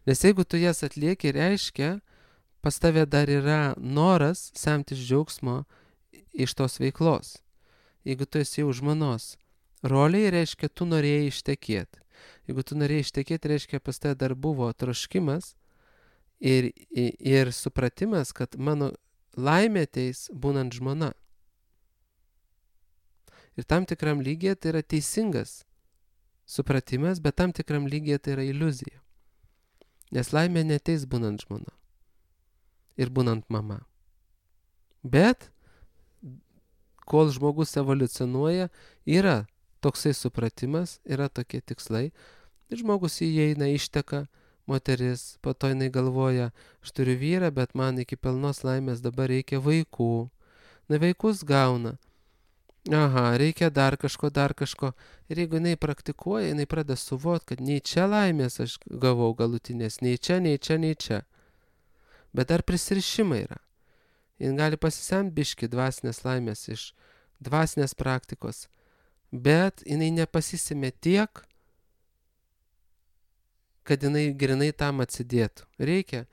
[SPEAKER 1] Nes jeigu tu jas atlieki, reiškia, pas tave dar yra noras semtis džiaugsmo iš tos veiklos. Jeigu tu esi jau žmonos roliai, reiškia, tu norėjai ištekėti. Jeigu tu norėjai ištekėti, reiškia, pas tave dar buvo troškimas ir, ir, ir supratimas, kad mano laimė ateis būnant žmona. Ir tam tikram lygyje tai yra teisingas supratimas, bet tam tikram lygyje tai yra iliuzija. Nes laimė neteis būnant žmona ir būnant mama. Bet kol žmogus evoliucionuoja, yra toksai supratimas, yra tokie tikslai. Ir žmogus įeina, išteka, moteris, po to jinai galvoja, aš turiu vyrą, bet man iki pilnos laimės dabar reikia vaikų. Na, vaikus gauna. Aha, reikia dar kažko, dar kažko. Ir jeigu jinai praktikuoja, jinai pradeda suvokti, kad nei čia laimės aš gavau galutinės, nei čia, nei čia, nei čia. Bet dar prisirišimai yra. Jin gali pasisemti biškį dvasinės laimės iš dvasinės praktikos, bet jinai nepasisemė tiek, kad jinai grinai tam atsidėtų. Reikia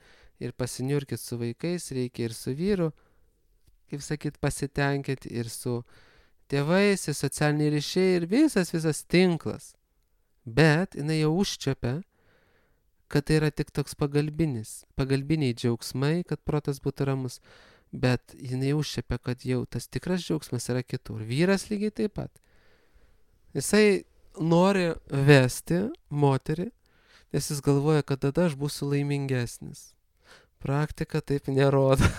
[SPEAKER 1] ir pasiniurkit su vaikais, reikia ir su vyru, kaip sakyt, pasitenkinti, ir su tėvais, ir socialiniai ryšiai, ir visas, visas tinklas. Bet jinai jau užčiapia, kad tai yra tik toks pagalbinis, pagalbiniai džiaugsmai, kad protas būtų ramus. Bet jinai užčiapia, kad jau tas tikras džiaugsmas yra kitur. Vyras lygiai taip pat. Jisai nori vesti moterį, nes jis galvoja, kad tada aš būsiu laimingesnis. Praktika taip nerodo.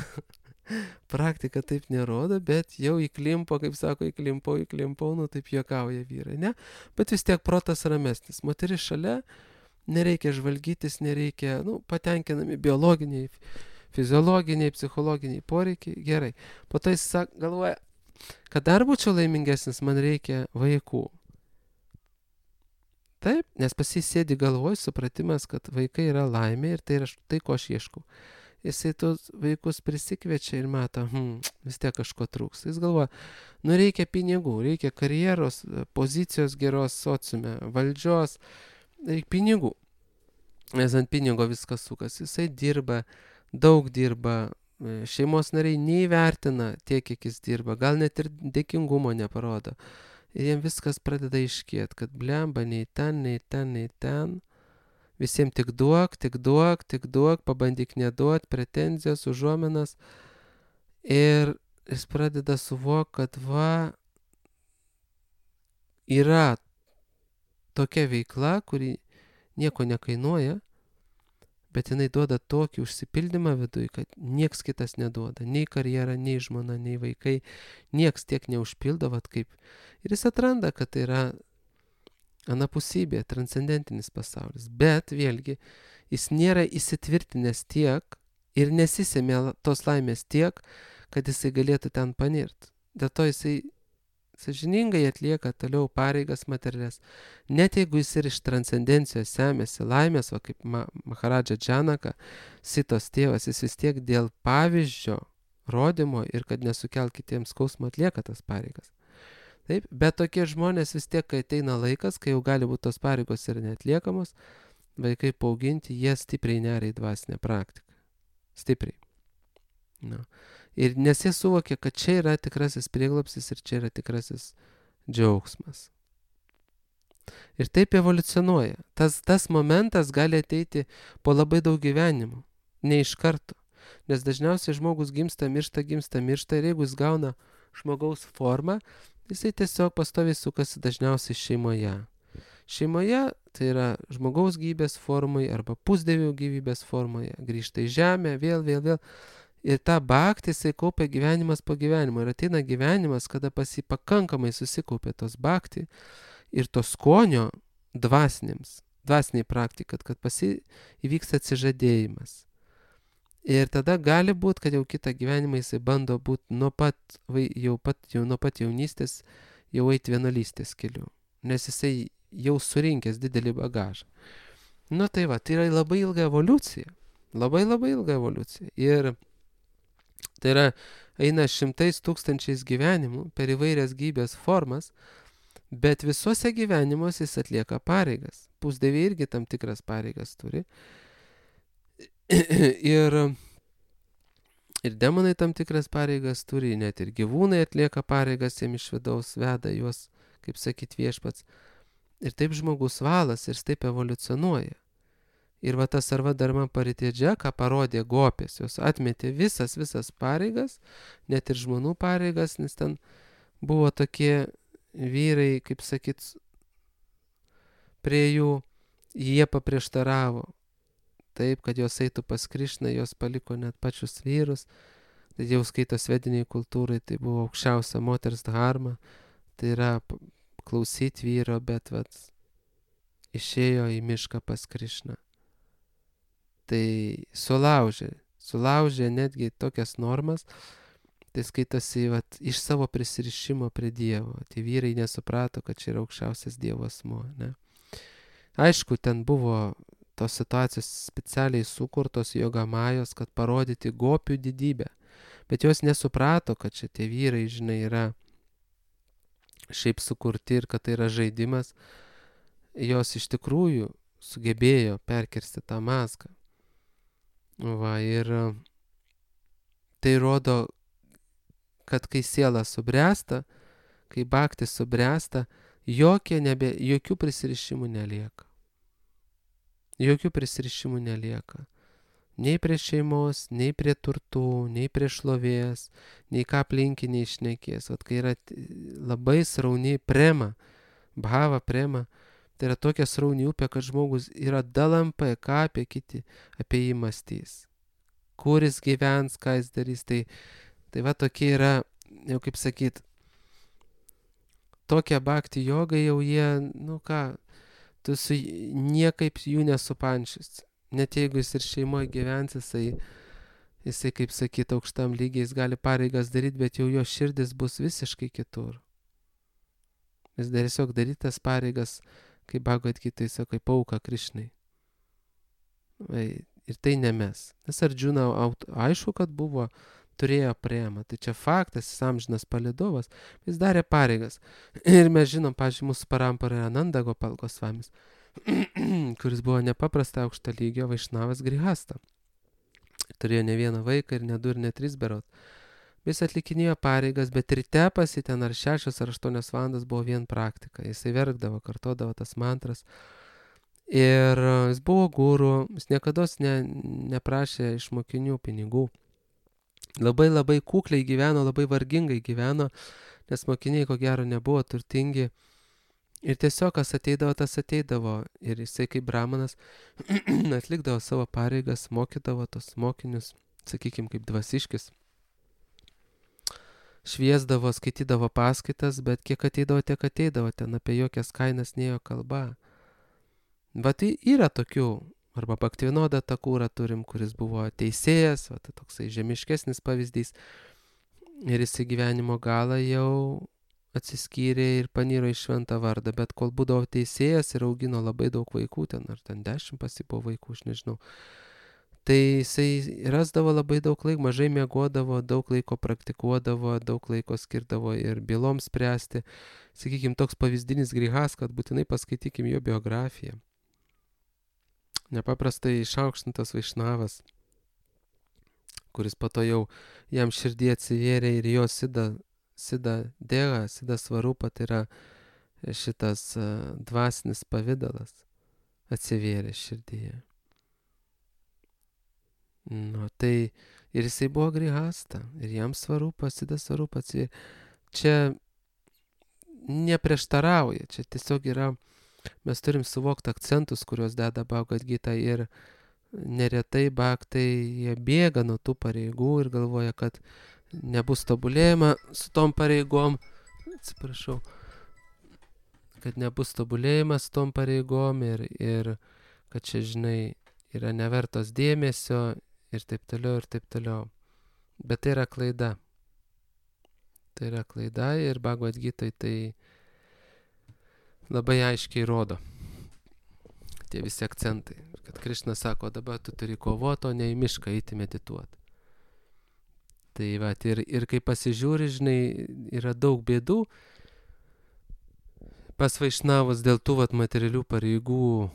[SPEAKER 1] Praktika taip nerodo, bet jau įklimpo, kaip sako, įklimpo, įklimpo, nu taip juokauja vyrai, ne? Bet vis tiek protas ramesnis. Moteris šalia, nereikia žvalgytis, nereikia, nu, patenkinami biologiniai, fiziologiniai, psichologiniai poreikiai, gerai. Po to jis sak, galvoja, kad dar būčiau laimingesnis, man reikia vaikų. Taip, nes pasisėdi galvoj supratimas, kad vaikai yra laimė ir tai yra tai, ko aš ieškau. Jisai tos vaikus prisikviečia ir mato, hm, vis tiek kažko trūks. Jis galvoja, nu reikia pinigų, reikia karjeros, pozicijos geros sociume, valdžios, reikia pinigų. Nes ant pinigo viskas sukas. Jisai dirba, daug dirba, šeimos nariai neįvertina tiek, kiek jis dirba, gal net ir dėkingumo neparodo. Ir jiem viskas pradeda iškėti, kad blemba nei ten, nei ten, nei ten. Visiems tik duok, tik duok, tik duok, pabandyk neduot, pretenzijas, užuominas. Ir jis pradeda suvokti, kad va, yra tokia veikla, kuri nieko nekainuoja, bet jinai duoda tokį užsipildymą viduj, kad nieks kitas neduoda. Nei karjera, nei žmona, nei vaikai. Nieks tiek neužpildo, vat kaip. Ir jis atranda, kad tai yra anapusybė, transcendentinis pasaulis. Bet vėlgi, jis nėra įsitvirtinęs tiek ir nesisėmė tos laimės tiek, kad jisai galėtų ten panirti. Dėl to jisai sąžiningai atlieka toliau pareigas materialias. Net jeigu jis ir iš transcendencijos semėsi laimės, va kaip Ma- Maharadža Džanaka, Sitos tėvas, jis vis tiek dėl pavyzdžio rodymo ir kad nesukelt kitiems skausmo atlieka tas pareigas. Taip, bet tokie žmonės vis tiek, kai ateina laikas, kai jau gali būti tos pareigos ir neatliekamos, vaikai paauginti, jie stipriai neria į dvasinę praktiką. Stipriai. No. Ir nes jie suvokia, kad čia yra tikrasis prieglobstis ir čia yra tikrasis džiaugsmas. Ir taip evoliucionuoja. Tas, tas momentas gali ateiti po labai daug gyvenimų, ne iš karto. Nes dažniausiai žmogus gimsta, miršta, gimsta, miršta ir jeigu jis gauna žmogaus formą, jisai tiesiog pastoviai sukasi dažniausiai šeimoje. Šeimoje tai yra žmogaus gyvybės formoje arba pusdievių gyvybės formoje. Grįžta į žemę, vėl, vėl, vėl. Ir tą baktį jisai kaupia gyvenimas po gyvenimo. Ir ateina gyvenimas, kada pas jį pakankamai susikaupia tos baktį ir to skonio dvasinėms, dvasiniai praktikai, kad pas jį įvyks atsižadėjimas. Ir tada gali būti, kad jau kitą gyvenimą jisai bando būti nuo pat, jau pat, jau nuo pat jaunystės, jau eiti vienuolystės keliu. Nes jisai jau surinkęs didelį bagažą. Nu tai va, tai yra labai ilga evoliucija. Labai labai ilga evoliucija. Ir tai yra, eina šimtais tūkstančiais gyvenimų per įvairias gyvybės formas, bet visuose gyvenimuose jis atlieka pareigas. Pusdieviai irgi tam tikras pareigas turi. ir, ir demonai tam tikras pareigas turi, net ir gyvūnai atlieka pareigas, jiem iš vidaus veda juos, kaip sakyt, viešpats. Ir taip žmogus valas ir taip evoliucionuoja. Ir va tas Sarva Dharma Paritedžia, ką parodė gopės, jos atmetė visas, visas pareigas, net ir žmonų pareigas, nes ten buvo tokie vyrai, kaip sakyt, prie jų, jie paprieštaravo. Taip, kad jos eitų pas Krišną, jos paliko net pačius vyrus. Tai jau skaito svediniai kultūrai, tai buvo aukščiausia moters dharma. Tai yra klausyti vyro, bet vat, išėjo į mišką pas Krišną. Tai sulaužė, sulaužė netgi tokias normas, tai skaitosi vat, iš savo prisirišimo prie Dievo. Tai vyrai nesuprato, kad čia yra aukščiausias Dievo asmuo. Ne? Aišku, ten buvo tos situacijos specialiai sukurtos jogamajos, kad parodyti gopių didybę. Bet jos nesuprato, kad čia tie vyrai, žinai, yra šiaip sukurti ir kad tai yra žaidimas. Jos iš tikrųjų sugebėjo perkirsti tą mazgą. Va, ir tai rodo, kad kai siela subręsta, kai bhakti subręsta, jokie nebe, jokių prisirišimų nelieka. Jokių prisirišimų nelieka. Nei prie šeimos, nei prie turtų, nei prie šlovės, nei ką aplinkiniai šnekės. Vat kai yra labai srauni prema, bhava prema, tai yra tokia srauni upė, kad žmogus yra dalampai, ką apie kiti, apie jį mąstys. Kur jis gyvens, ką jis darys. Tai, tai va tokie yra, jau kaip sakyt, tokia bhakti joga jau jie, nu ką, tu su niekaip jų nesupanšys. Net jeigu jis ir šeimoje gyvens, jisai, jisai, kaip sakyt, aukštam lygiai, jis gali pareigas daryti, bet jau jo širdis bus visiškai kitur. Jis dar tiesiog daryti tas pareigas, kaip Bhagavad Gita, sako, kaip auka Krišnai. Ir tai ne mes. Nes Ardžuna, aišku, kad buvo, turėjo premą. Tai čia faktas, jis amžinas palidovas, jis darė pareigas. Ir mes žinom, pavyzdžiui, mūsų parampara yra Nanda Gopal Gosvamis, kuris buvo nepaprastai aukšto lygio vaišnavas grihasta. Turėjo ne vieną vaiką ir ne du ir ne tris berot. Jis atlikinėjo pareigas, bet ryte pasi ten ar šešios ar aštuonios valandas buvo vien praktika. Jisai verkdavo, kartodavo tas mantras. Ir jis buvo guru, jis niekada ne, neprašė iš mokinių pinigų. Labai labai kukliai gyveno, labai vargingai gyveno, nes mokiniai ko gero nebuvo turtingi. Ir tiesiog kas ateidavo, tas ateidavo. Ir jisai kaip brahmanas atlikdavo savo pareigas, mokydavo tos mokinius, sakykim, kaip dvasiškis. Šviesdavo, skaitydavo paskaitas, bet kiek ateidavo, tiek ateidavo, ten apie jokias kainas nėjo kalba. Bet tai yra tokių, arba Bhaktivinoda Thakurą turim, kuris buvo teisėjas, va, tai toksai žemiškesnis pavyzdys. Ir jis į gyvenimo galą jau atsiskyrė ir paniro į šventą vardą, bet kol būdavo teisėjas ir augino labai daug vaikų, ten ar ten dešimt pasi buvo vaikų, aš nežinau. Tai jisai rasdavo labai daug laiko, mažai miegodavo, daug laiko praktikuodavo, daug laiko skirdavo ir byloms spręsti. Sakykim, toks pavyzdinis grihas, kad būtinai paskaitykim jo biografiją. Nepaprastai išaukštintas vaišnavas, kuris po to jau jam širdį atsivėrė ir jo sida, sida dėga, sida svarupa, tai yra šitas uh, dvasinis pavidalas atsivėrė širdyje. Nu, tai ir jisai buvo grihasta, ir jam svarupa, sida svarupa atsivėrė. Čia neprieštarauja, čia tiesiog yra, mes turim suvokti akcentus, kuriuos deda Bhagavad Gita ir neretai bhaktai jie bėga nuo tų pareigų ir galvoja, kad nebus tobulėjama su tom pareigom, atsiprašau, kad nebus tobulėjimas su tom pareigom ir, ir kad čia, žinai, yra nevertos dėmesio ir taip toliau ir taip toliau. Bet tai yra klaida. Tai yra klaida ir Bhagavad Gita tai labai aiškiai rodo tie visi akcentai. Kad Krišna sako, dabar tu turi kovoti, o ne į mišką eiti medituoti. Tai va, ir, ir kai pasižiūri, žinai, yra daug bėdų pas vaišnavus dėl tų vat, materialių pareigų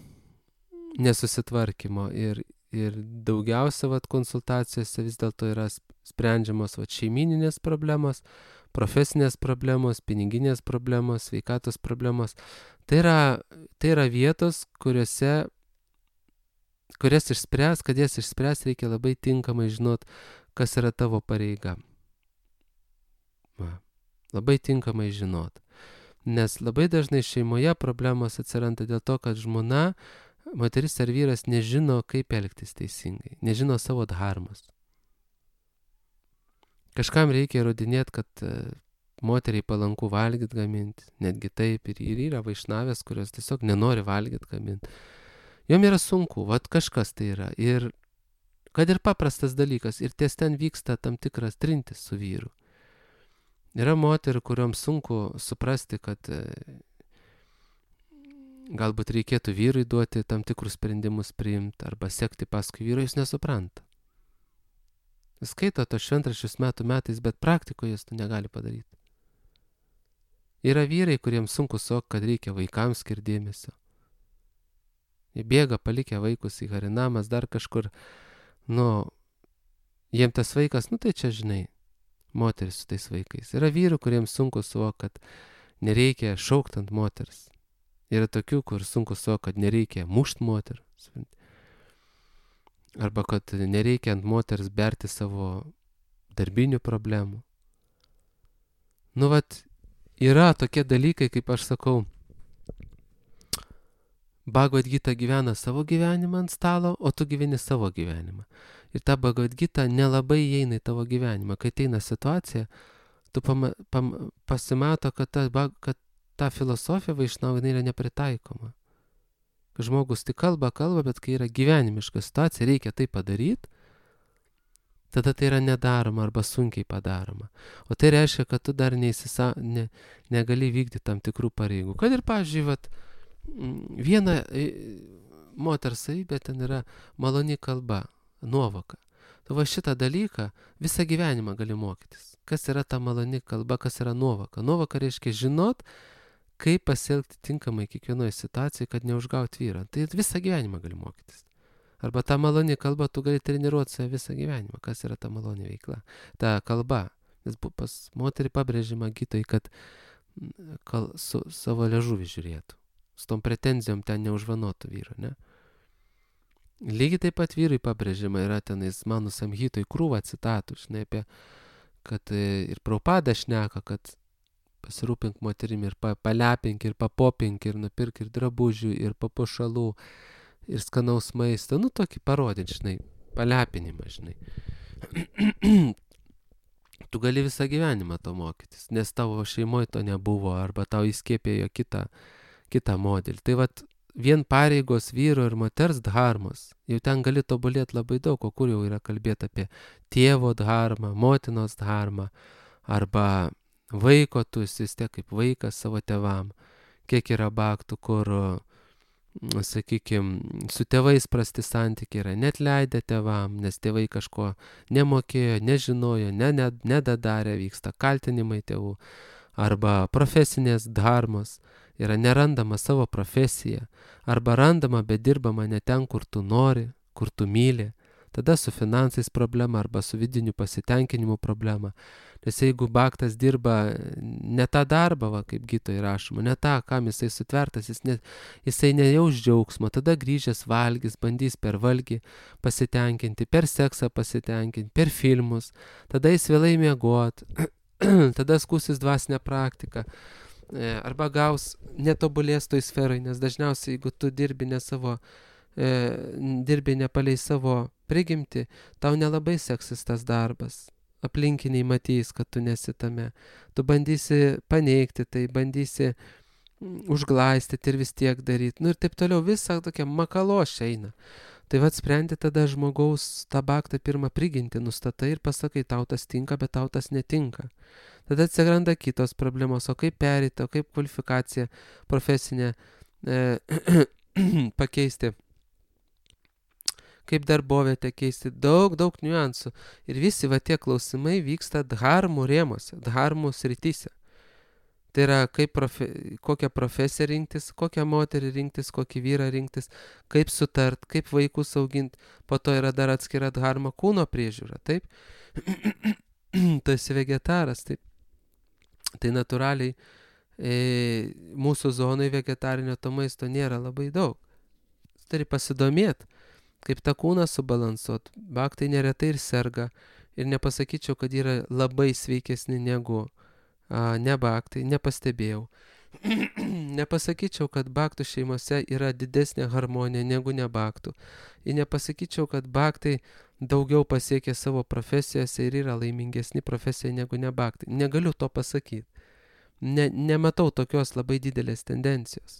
[SPEAKER 1] nesusitvarkymo. Ir, ir daugiausia vat, konsultacijose vis dėlto yra sprendžiamos vat, šeimininės problemos, profesinės problemos, piniginės problemos, sveikatos problemos. Tai yra, tai yra vietos, kuriuose, kurias išspręs, kad jas išspręs, reikia labai tinkamai žinot, kas yra tavo pareiga. Va. Labai tinkamai žinot. Nes labai dažnai šeimoje problemos atsiranda dėl to, kad žmona, moteris ar vyras nežino, kaip elgtis teisingai, nežino savo dharmos. Kažkam reikia įrodinėti, kad moteriai palanku valgyti gaminti, netgi taip, ir, ir yra vaišnavės, kurios tiesiog nenori valgyti gaminti. Jom yra sunku, vat kažkas tai yra. Ir kad ir paprastas dalykas, ir ties ten vyksta tam tikras trintis su vyru. Yra moterų, kuriuoms sunku suprasti, kad galbūt reikėtų vyrui duoti tam tikrus sprendimus priimti arba sekti paskui vyrą, jis nesupranta. Jis skaito tos šventraščius metų metais, bet praktikoje jis to negali padaryti. Yra vyrai, kuriems sunku suvokti, kad reikia vaikams skirti dėmesio. Jie bėga palikę vaikus į harinamas, dar kažkur, nu, jiem tas vaikas, nu tai čia žinai, moteris su tais vaikais. Yra vyrų, kuriems sunku suvokti, kad nereikia šaukti ant moters. Yra tokių, kur sunku suvokti, kad nereikia mušti moterų. Arba kad nereikia ant moters berti savo darbinių problemų. Nu, vat, yra tokie dalykai, kaip aš sakau, Bhagavad Gita gyvena savo gyvenimą ant stalo, o tu gyveni savo gyvenimą. Ir ta Bhagavad Gita nelabai įeina į tavo gyvenimą. Kai ateina situacija, tu pama, pam, pasimato, kad ta, kad ta filosofija vaišnava yra nepritaikoma. Kad žmogus tik kalba, kalba, bet kai yra gyvenimiška situacija, reikia tai padaryti, tada tai yra nedaroma arba sunkiai padaroma. O tai reiškia, kad tu dar neįsisa, ne, negali vykdyti tam tikrų pareigų. Kad ir, pavyzdžiui, vat, viena moters savybė ten yra maloni kalba, nuovoka. Tu va šitą dalyką visą gyvenimą gali mokytis. Kas yra ta maloni kalba, kas yra nuovoka. Nuovoka reiškia žinot, kaip pasielgti tinkamai kiekvienoje situacijoje, kad neužgauti vyrą. Tai visą gyvenimą gali mokytis. Arba ta maloni kalba, tu gali treniruoti save visą gyvenimą. Kas yra ta maloni veikla? Ta kalba. Nes pas moterį pabrėžima Gitoj, kad kal, su savo liežuvį žiūrėtų. Su tom pretenzijom ten neužvanotų vyru, ne? Lygiai taip pat vyrui pabrėžima yra tenais Manu Samhitoj krūva citatų, žinai, apie, kad ir Prabhupada šneka, kad pasirūpink moterimi ir pa, palepink, ir papopink, ir nupirk ir drabužių, ir papuošalų, ir skanaus maisto. Nu, tokį parodint, žinai, palepinimą, žinai. Tu gali visą gyvenimą to mokytis, nes tavo šeimoje to nebuvo, arba tau įskiepėjo kitą kitą modelį. Tai vat vien pareigos vyro ir moters dharmos, jau ten gali tobulėti labai daug, o kur jau yra kalbėti apie tėvo dharmą, motinos dharmą, arba vaiko, tu esi vis tiek kaip vaikas savo tėvam. Kiek yra baktų, kur, sakykime, su tėvais prasti santykiai yra, net leidę tėvam, nes tėvai kažko nemokėjo, nežinojo, ne, ne, nedadarė, vyksta kaltinimai tėvų, arba profesinės dharmos, yra nerandama savo profesija, arba randama, bet dirbama ne ten, kur tu nori, kur tu myli, tada su finansais problema arba su vidiniu pasitenkinimu problema. Nes jeigu baktas dirba ne tą darbą, va, kaip Gitoje rašoma, ne tą, kam jisai sutvertas, jis ne, jisai nejaus džiaugsmo, tada grįžęs valgys, bandys per valgį pasitenkinti, per seksą pasitenkinti, per filmus, tada jis vėlai miegot, tada skūsis dvasinę praktiką. Arba gaus netobulės toj sferai, nes dažniausiai, jeigu tu dirbi ne savo, e, dirbi nepalei savo prigimti, tau nelabai seksis tas darbas. Aplinkiniai matys, kad tu nesi tame. Tu bandysi paneigti tai, bandysi užglaistyti ir vis tiek daryti. Nu ir taip toliau, visa tokia makalošė eina. Tai vat sprendi tada žmogaus tą baktą pirmą prigimtį, nustatai ir pasakai, tau tas tinka, bet tau tas netinka. Tada atsiranda kitos problemos, o kaip perėti, o kaip kvalifikaciją profesinę e, pakeisti, kaip darbovietę keisti, daug, daug niuansų. Ir visi va tie klausimai vyksta dharmų rėmose, dharmų srityse. Tai yra, kaip profe, kokią profesiją rinktis, kokią moterį rinktis, kokį vyrą rinktis, kaip sutart, kaip vaikus auginti. Po to yra dar atskira dharma kūno priežiūra, taip? Tu esi vegetaras, taip? Tai natūraliai e, mūsų zonai vegetarinio to maisto nėra labai daug. Turi pasidomėti, kaip tą kūną subalansuot. Baktai neretai ir serga. Ir nepasakyčiau, kad yra labai sveikesni negu a, ne baktai, nepastebėjau. Nepasakyčiau, kad baktų šeimose yra didesnė harmonija negu ne baktų. Ir nepasakyčiau, kad baktai daugiau pasiekė savo profesijose ir yra laimingesni profesijoje negu ne baktai. Negaliu to pasakyti. Ne, nematau tokios labai didelės tendencijos.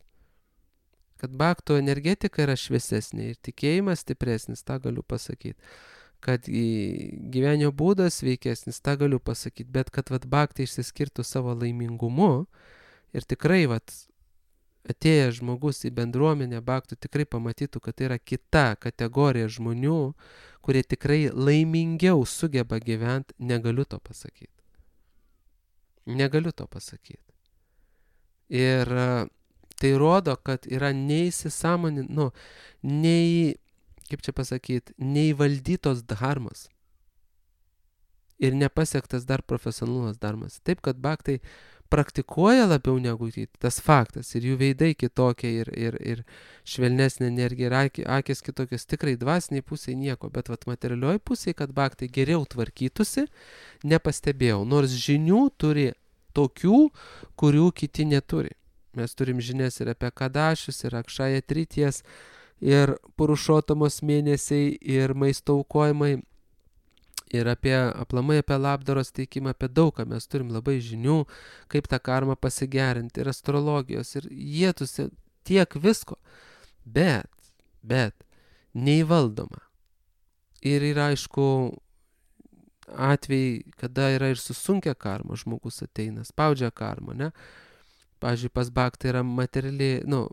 [SPEAKER 1] Kad baktų energetika yra šviesesnė ir tikėjimas stipresnis, tą galiu pasakyti. Kad gyvenimo būdas sveikesnis, tą galiu pasakyti. Bet kad vat, baktai išsiskirtų savo laimingumu ir tikrai vat, atėjęs žmogus į bendruomenę baktų tikrai pamatytų, kad tai yra kita kategorija žmonių, kurie tikrai laimingiau sugeba gyventi, negaliu to pasakyti. Negaliu to pasakyti. Ir tai rodo, kad yra neįsisąmonin, nu, nei, kaip čia pasakyti, neįvaldytos dharmos ir nepasiektas dar profesionalumas dharmas. Taip, kad baktai praktikuoja labiau negu tas faktas ir jų veidai kitokie ir, ir, ir švelnesnė energija ir akės kitokios, tikrai dvasiniai pusėje nieko, bet vat materialioj pusėje, kad baktai geriau tvarkytųsi, nepastebėjau, nors žinių turi tokių, kurių kiti neturi. Mes turim žinias ir apie kadašius, ir akšaja trities, ir purušotamos mėnesiai, ir maisto aukojimai, ir apie aplamai apie labdaros teikimą, apie daug ką mes turim labai žinių, kaip tą karmą pasigerinti, ir astrologijos, ir jėtusi tiek visko, bet, bet, neįvaldoma. Ir yra, aišku, atvejai, kada yra ir susunkia karma, žmogus ateina, spaudžia karmą, ne? Pavyzdžiui, pas baktą yra materialiai, nu,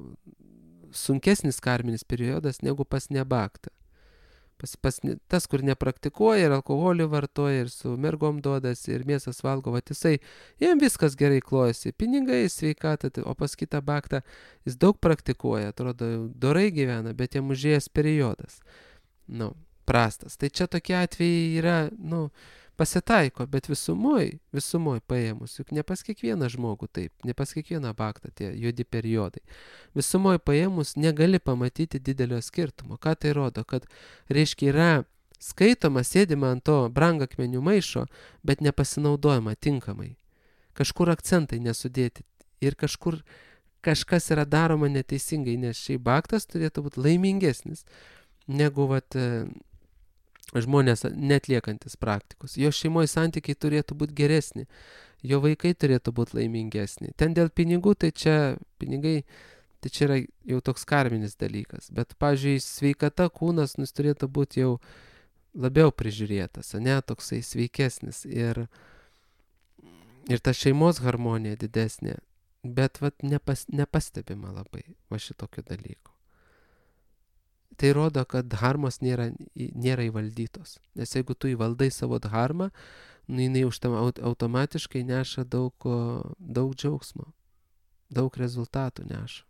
[SPEAKER 1] sunkesnis karminis periodas negu pas nebaktą. Pas, pas, tas, kur nepraktikuoja ir alkoholį vartoja, ir su mergom duodas, ir mėsas valgo, va jisai, jam viskas gerai klojasi, pinigai, sveikata, o pas kitą baktą jis daug praktikuoja, atrodo, dorai gyvena, bet jam užėjęs periodas, nu, prastas. Tai čia tokie atvejai yra, nu, pasitaiko, bet visumoj, visumoj paėmus, juk ne pas kiekvieną žmogų taip, ne pas kiekvieną baktą tie juodi periodai. Visumoj paėmus negali pamatyti didelio skirtumo. Ką tai rodo? Kad, reiškia, yra skaitoma, sėdima ant to brangakmenių maišo, bet nepasinaudojama tinkamai. Kažkur akcentai nesudėti ir kažkur kažkas yra daroma neteisingai, nes šiai baktas turėtų būti laimingesnis negu vat, žmonės netliekantis praktikus. Jo šeimoje santykiai turėtų būti geresni, jo vaikai turėtų būti laimingesni. Ten dėl pinigų, tai čia pinigai, tai čia yra jau toks karminis dalykas. Bet, pavyzdžiui, sveikata kūnas nus turėtų būti jau labiau prižiūrėtas, ne, toksai sveikesnis ir, ir ta šeimos harmonija didesnė. Bet vat nepas, nepastebima labai va šitokio dalyko. Tai rodo, kad dharmos nėra, nėra įvaldytos. Nes jeigu tu įvaldai savo dharmą, nu, jinai už tam automatiškai neša daug, daug džiaugsmo, daug rezultatų neša.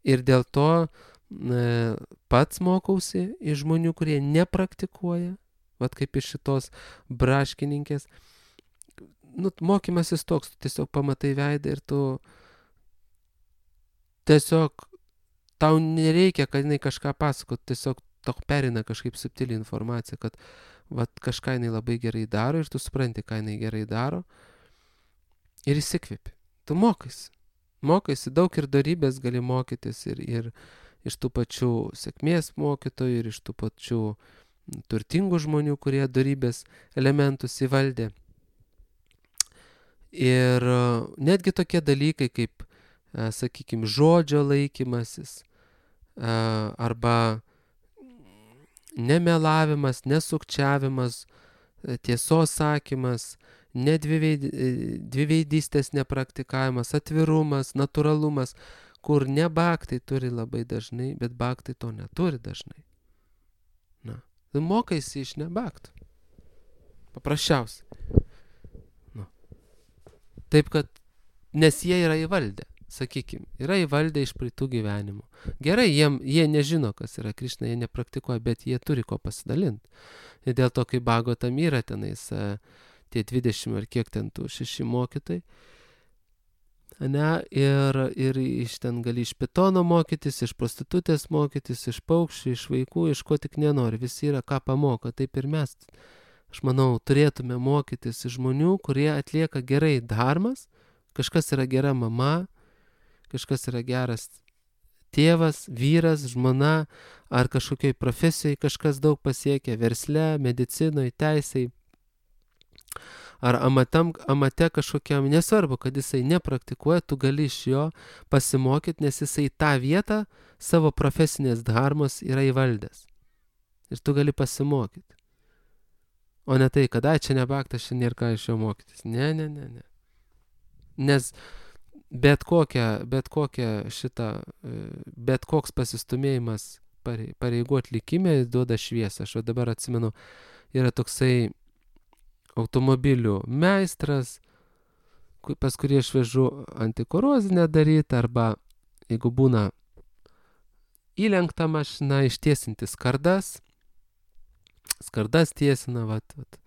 [SPEAKER 1] Ir dėl to e, pats mokausi iš žmonių, kurie nepraktikuoja, vat kaip iš šitos braškininkės. Nu, mokymasis toks, tu tiesiog pamatai veidą ir tu tiesiog tau nereikia, kad jinai kažką pasakot, tiesiog tok perina kažkaip subtili informacija, kad vat, kažką jinai labai gerai daro ir tu supranti, ką jinai gerai daro ir įsikvėpi. Tu mokaisi. Mokaisi, daug ir dorybės gali mokytis ir, ir iš tų pačių sėkmės mokytojų, ir iš tų pačių turtingų žmonių, kurie dorybės elementus įvaldė. Ir netgi tokie dalykai kaip, sakykime, žodžio laikymasis, arba nemelavimas, nesukčiavimas, tiesos sakymas, dviveidystės nepraktikavimas, atvirumas, natūralumas, kur ne baktai turi labai dažnai, bet baktai to neturi dažnai. Na, tu mokaisi iš nebaktų. Paprasčiausiai. Na. Taip, kad, nes jie yra įvaldę. Sakykime, yra įvaldę iš praeitų gyvenimų. Gerai, jiem, jie nežino, kas yra Krišna, jie nepraktikuoja, bet jie turi ko pasidalinti. Ir dėl to, kai Bhagavatam yra tenais tie dvidešimt ar kiek ten tų šeši mokytojai, ne, ir, ir iš ten gali iš pitono mokytis, iš prostitutės mokytis, iš paukščių, iš vaikų, iš ko tik nenori. Visi yra ką pamoko, taip ir mes, aš manau, turėtume mokytis iš žmonių, kurie atlieka gerai dharmas, Kažkas yra gera mama, kažkas yra geras tėvas, vyras, žmona, ar kažkokioj profesijai kažkas daug pasiekia, versle, medicinoje, teisėje, ar amatam, amate kažkokiam, nesvarbu, kad jisai nepraktikuoja, tu gali iš jo pasimokyti, nes jisai tą vietą savo profesinės dharmos yra įvaldęs. Ir tu gali pasimokyti. O ne tai, kad, ai, čia nebaktas, čia nėra ką iš jo mokytis. Ne, ne, ne, ne. Nes bet kokia, bet kokia šita, bet koks pasistumėjimas pareigų atlikime duoda šviesą. Aš dabar atsimenu, yra toksai automobilių meistras, pas kurį aš vežu antikorozinę daryti, arba jeigu būna įlenkta mašina, ištiesinti skardas, skardas tiesina, vat, vat,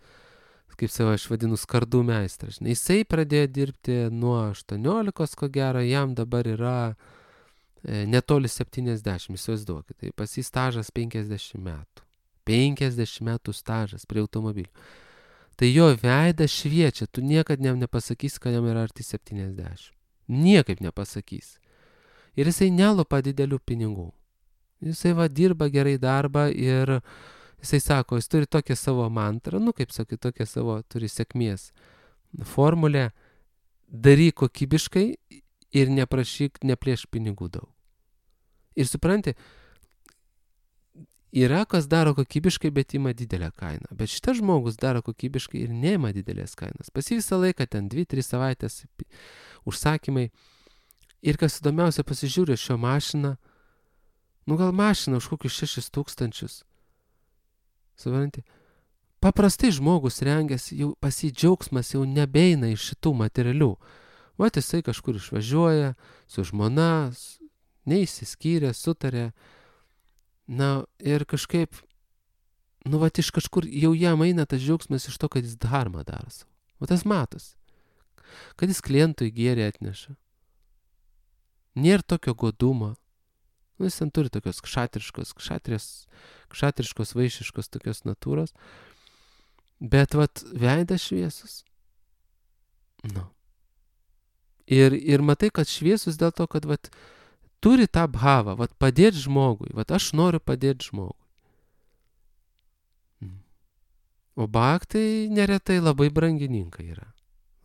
[SPEAKER 1] kaip savo aš vadinu, skardų meistras. Jisai pradėjo dirbti nuo aštuoniolikos, ko gero, jam dabar yra e, netoli septyniasdešimt, įsivaizduokit. Tai pas jį stažas penkiasdešimt metų. penkiasdešimt metų stažas prie automobilių. Tai jo veidas šviečia, tu niekad jam nepasakysi, kad jam yra arti septyniasdešimt. Niekaip nepasakys. Ir jisai nelupa didelių pinigų. Jisai va dirba gerai darbą ir jisai sako, jis turi tokią savo mantrą, nu kaip sakai, tokią savo turi sėkmės formulę, daryk kokybiškai ir neprašyk, neplėšk pinigų daug. Ir supranti, yra kas daro kokybiškai, bet ima didelę kainą. Bet šitas žmogus daro kokybiškai ir neima didelės kainos. Pas jį visą laiką ten dvi tris savaitės užsakymai. Ir kas įdomiausia, pasižiūrė šio mašiną, nu gal mašina už kokius šešis tūkstančius. Supranti? Paprastai žmogus rengiasi, jau pas jį džiaugsmas jau nebeina iš šitų materialių. Vat jisai kažkur išvažiuoja su žmona, neįsiskyrė, sutarė. Na ir kažkaip, nu vat iš kažkur jau jam eina tas džiaugsmas iš to, kad jis dharmą daro savo. O tas matos. Kad jis klientui gėrį atneša. Nėra tokio godumo. Nu, jis ten turi tokios kšatriškos, kšatrės, kšatriškos, vaišiškos tokios natūros. Bet vat veidas šviesus. Nu. Ir, ir matai, kad šviesus dėl to, kad vat turi tą bhavą, vat padėti žmogui. Vat aš noriu padėti žmogui. O bhaktai neretai labai brangininkai yra.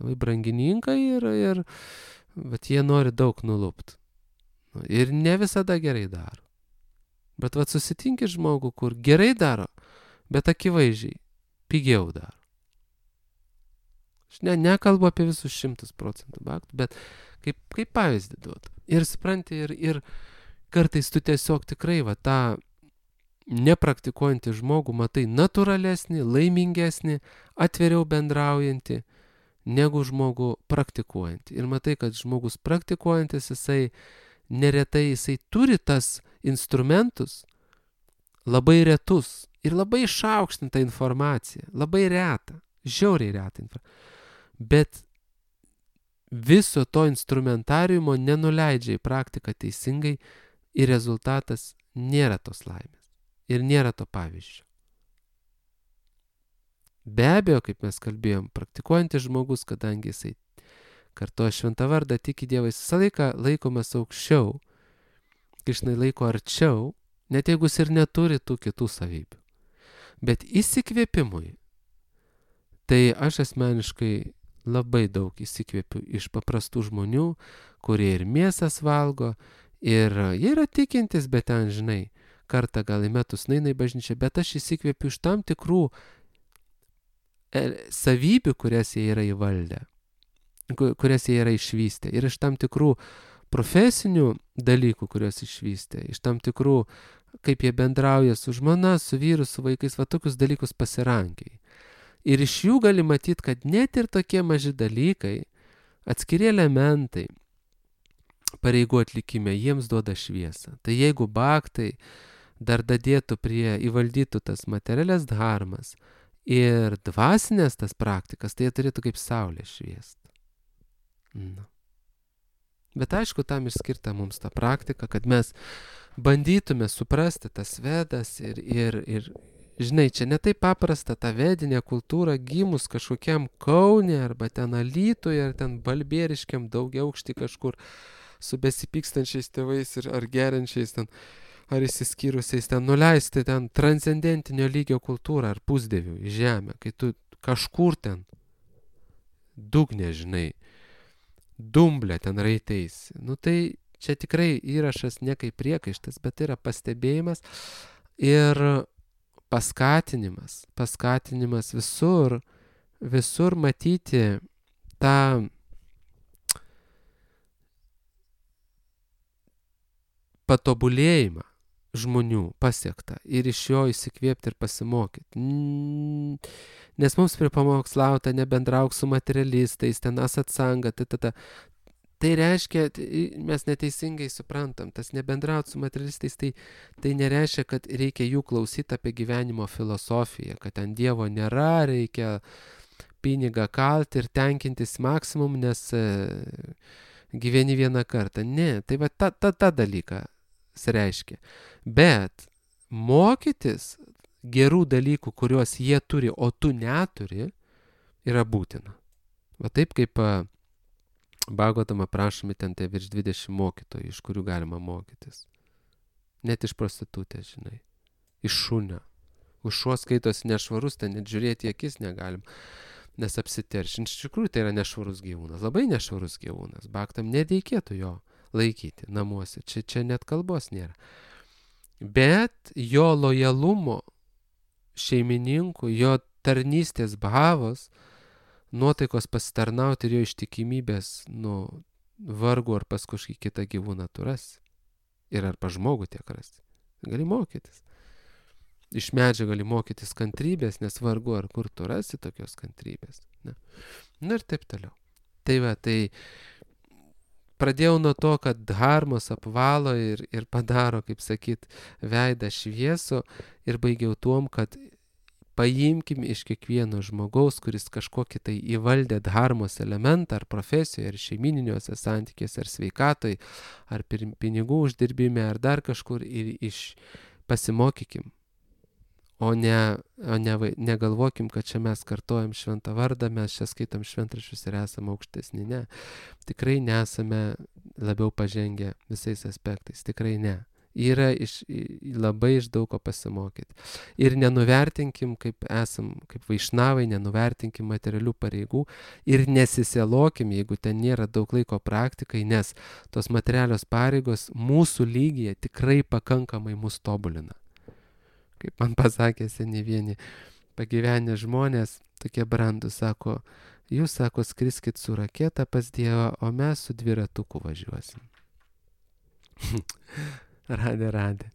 [SPEAKER 1] Labai brangininkai ir, ir vat jie nori daug nulupti. Ir ne visada gerai daro. Bet vat susitinki žmogų, kur gerai daro, bet akivaizdžiai pigiau daro. Aš ne, nekalbu apie visus šimtus procentų bhaktų, bet kaip, kaip pavyzdį duodu. Ir supranti, ir, ir kartais tu tiesiog tikrai va tą nepraktikuojantį žmogų matai natūralesnį, laimingesnį, atviriau bendraujantį, negu žmogų praktikuojantį. Ir matai, kad žmogus praktikuojantis, jisai neretai jisai turi tas instrumentus, labai retus ir labai išaukštintą informaciją, labai retą, žiauriai retą informaciją. Bet viso to instrumentariumo nenuleidžia į praktiką teisingai ir rezultatas nėra tos laimės ir nėra to pavyzdžio. Be abejo, kaip mes kalbėjom, praktikuojantis žmogus, kadangi jisai kartoja šventą vardą, tiki Dievą, jis visą laiką laikomas aukščiau, Krišnai laiko arčiau, net jeigu jis ir neturi tų kitų savybių. Bet įsikvėpimui, tai aš asmeniškai labai daug įsikvėpiu iš paprastų žmonių, kurie ir mėsas valgo, ir jie yra tikintis, bet ten, žinai, kartą gal į metus neina į bažnyčią, bet aš įsikvėpiu iš tam tikrų savybių, kurias jie yra įvaldę, kurias jie yra išvystę, ir iš tam tikrų profesinių dalykų, kuriuos išvystė, iš tam tikrų, kaip jie bendrauja su žmona, su vyru, su vaikais, va tokius dalykus pasirankiai. Ir iš jų gali matyti, kad net ir tokie maži dalykai, atskiri elementai pareigų atlikime, jiems duoda šviesą. Tai jeigu bhaktai dar dadėtų prie įvaldytų tas materialias dharmas ir dvasinės tas praktikas, tai jie turėtų kaip saulė šviesti. Na. Bet aišku, tam išskirta mums ta praktika, kad mes bandytume suprasti tas vedas ir, ir, ir žinai, čia ne taip paprasta ta vedinė kultūra gimus kažkokiam Kaune arba ten Alytuje ar ten Balbieriškiam daugiaaukšty kažkur su besipykstančiais tėvais ir ar geriančiais ten, ar įsiskyrusiais ten nuleisti ten transcendentinio lygio kultūrą ar pusdievių į žemę, kai tu kažkur ten dugne, žinai, dumblė ten raiteisi. Nu tai čia tikrai įrašas ne kaip priekaištas, bet tai yra pastebėjimas ir paskatinimas, paskatinimas visur, visur matyti tą patobulėjimą žmonių pasiektą ir iš jo įsikvėpti ir pasimokyti. Nes mums pripamokslauta nebendrauk su materialistais, ten asatsanga, ta, ta, ta. Tai reiškia, mes neteisingai suprantam, tas nebendraut su materialistais, tai, tai nereiškia, kad reikia jų klausyti apie gyvenimo filosofiją, kad ten Dievo nėra, reikia pinigą kalti ir tenkintis maksimum, nes e, gyveni vieną kartą. Ne, tai va ta, ta, ta dalyką reiškia. Bet mokytis gerų dalykų, kuriuos jie turi, o tu neturi, yra būtina. Va taip kaip Bhagavatam aprašomi ten tai virš dvidešimt mokytojų, iš kurių galima mokytis. Net iš prostitutės, žinai. Iš šunio. Už šuo skaitosi nešvarus, ten net žiūrėti į akis negalim, nes apsiteršin. Iš tikrųjų tai yra nešvarus gyvūnas, labai nešvarus gyvūnas. Bhaktam nereikėtų jo laikyti namuose. Čia, čia net kalbos nėra. Bet jo lojalumo šeimininkų, jo tarnystės bhavos, nuotaikos pasitarnauti ir jo ištikimybės, nu, vargu ar pas kažkokį kitą gyvūną tu rasi. Ir ar pas žmogų tiek rasi. Gali mokytis. Iš medžio gali mokytis kantrybės, nes vargu ar kur tu rasi tokios kantrybės. Ne. Na ir taip toliau. Tai va, tai pradėjau nuo to, kad dharmos apvalo ir, ir padaro, kaip sakyt, veidą šviesų ir baigiau tuom, kad paimkim iš kiekvieno žmogaus, kuris kažkokį tai įvaldė dharmos elementą, ar profesijoje, ar šeimininiuose santykiuose, ar sveikatoj, ar pinigų uždirbime, ar dar kažkur, ir iš pasimokykim. O ne, o ne, negalvokim, kad čia mes kartojam šventą vardą, mes čia skaitom šventraščius ir esame aukštesni. Ne. Tikrai nesame labiau pažengę visais aspektais. Tikrai ne. Yra iš, labai iš daug ko pasimokyti. Ir nenuvertinkim, kaip esam, kaip vaišnavai, nenuvertinkim materialių pareigų ir nesisielokim, jeigu ten nėra daug laiko praktikai, nes tos materialios pareigos mūsų lygyje tikrai pakankamai mus tobulina. Kaip man pasakė seniai vieni pagyvenę žmonės, tokie brandus, sako, jūs, sako, skriskit su raketa pas Dievą, o mes su dviratuku važiuosim. Radė, radė.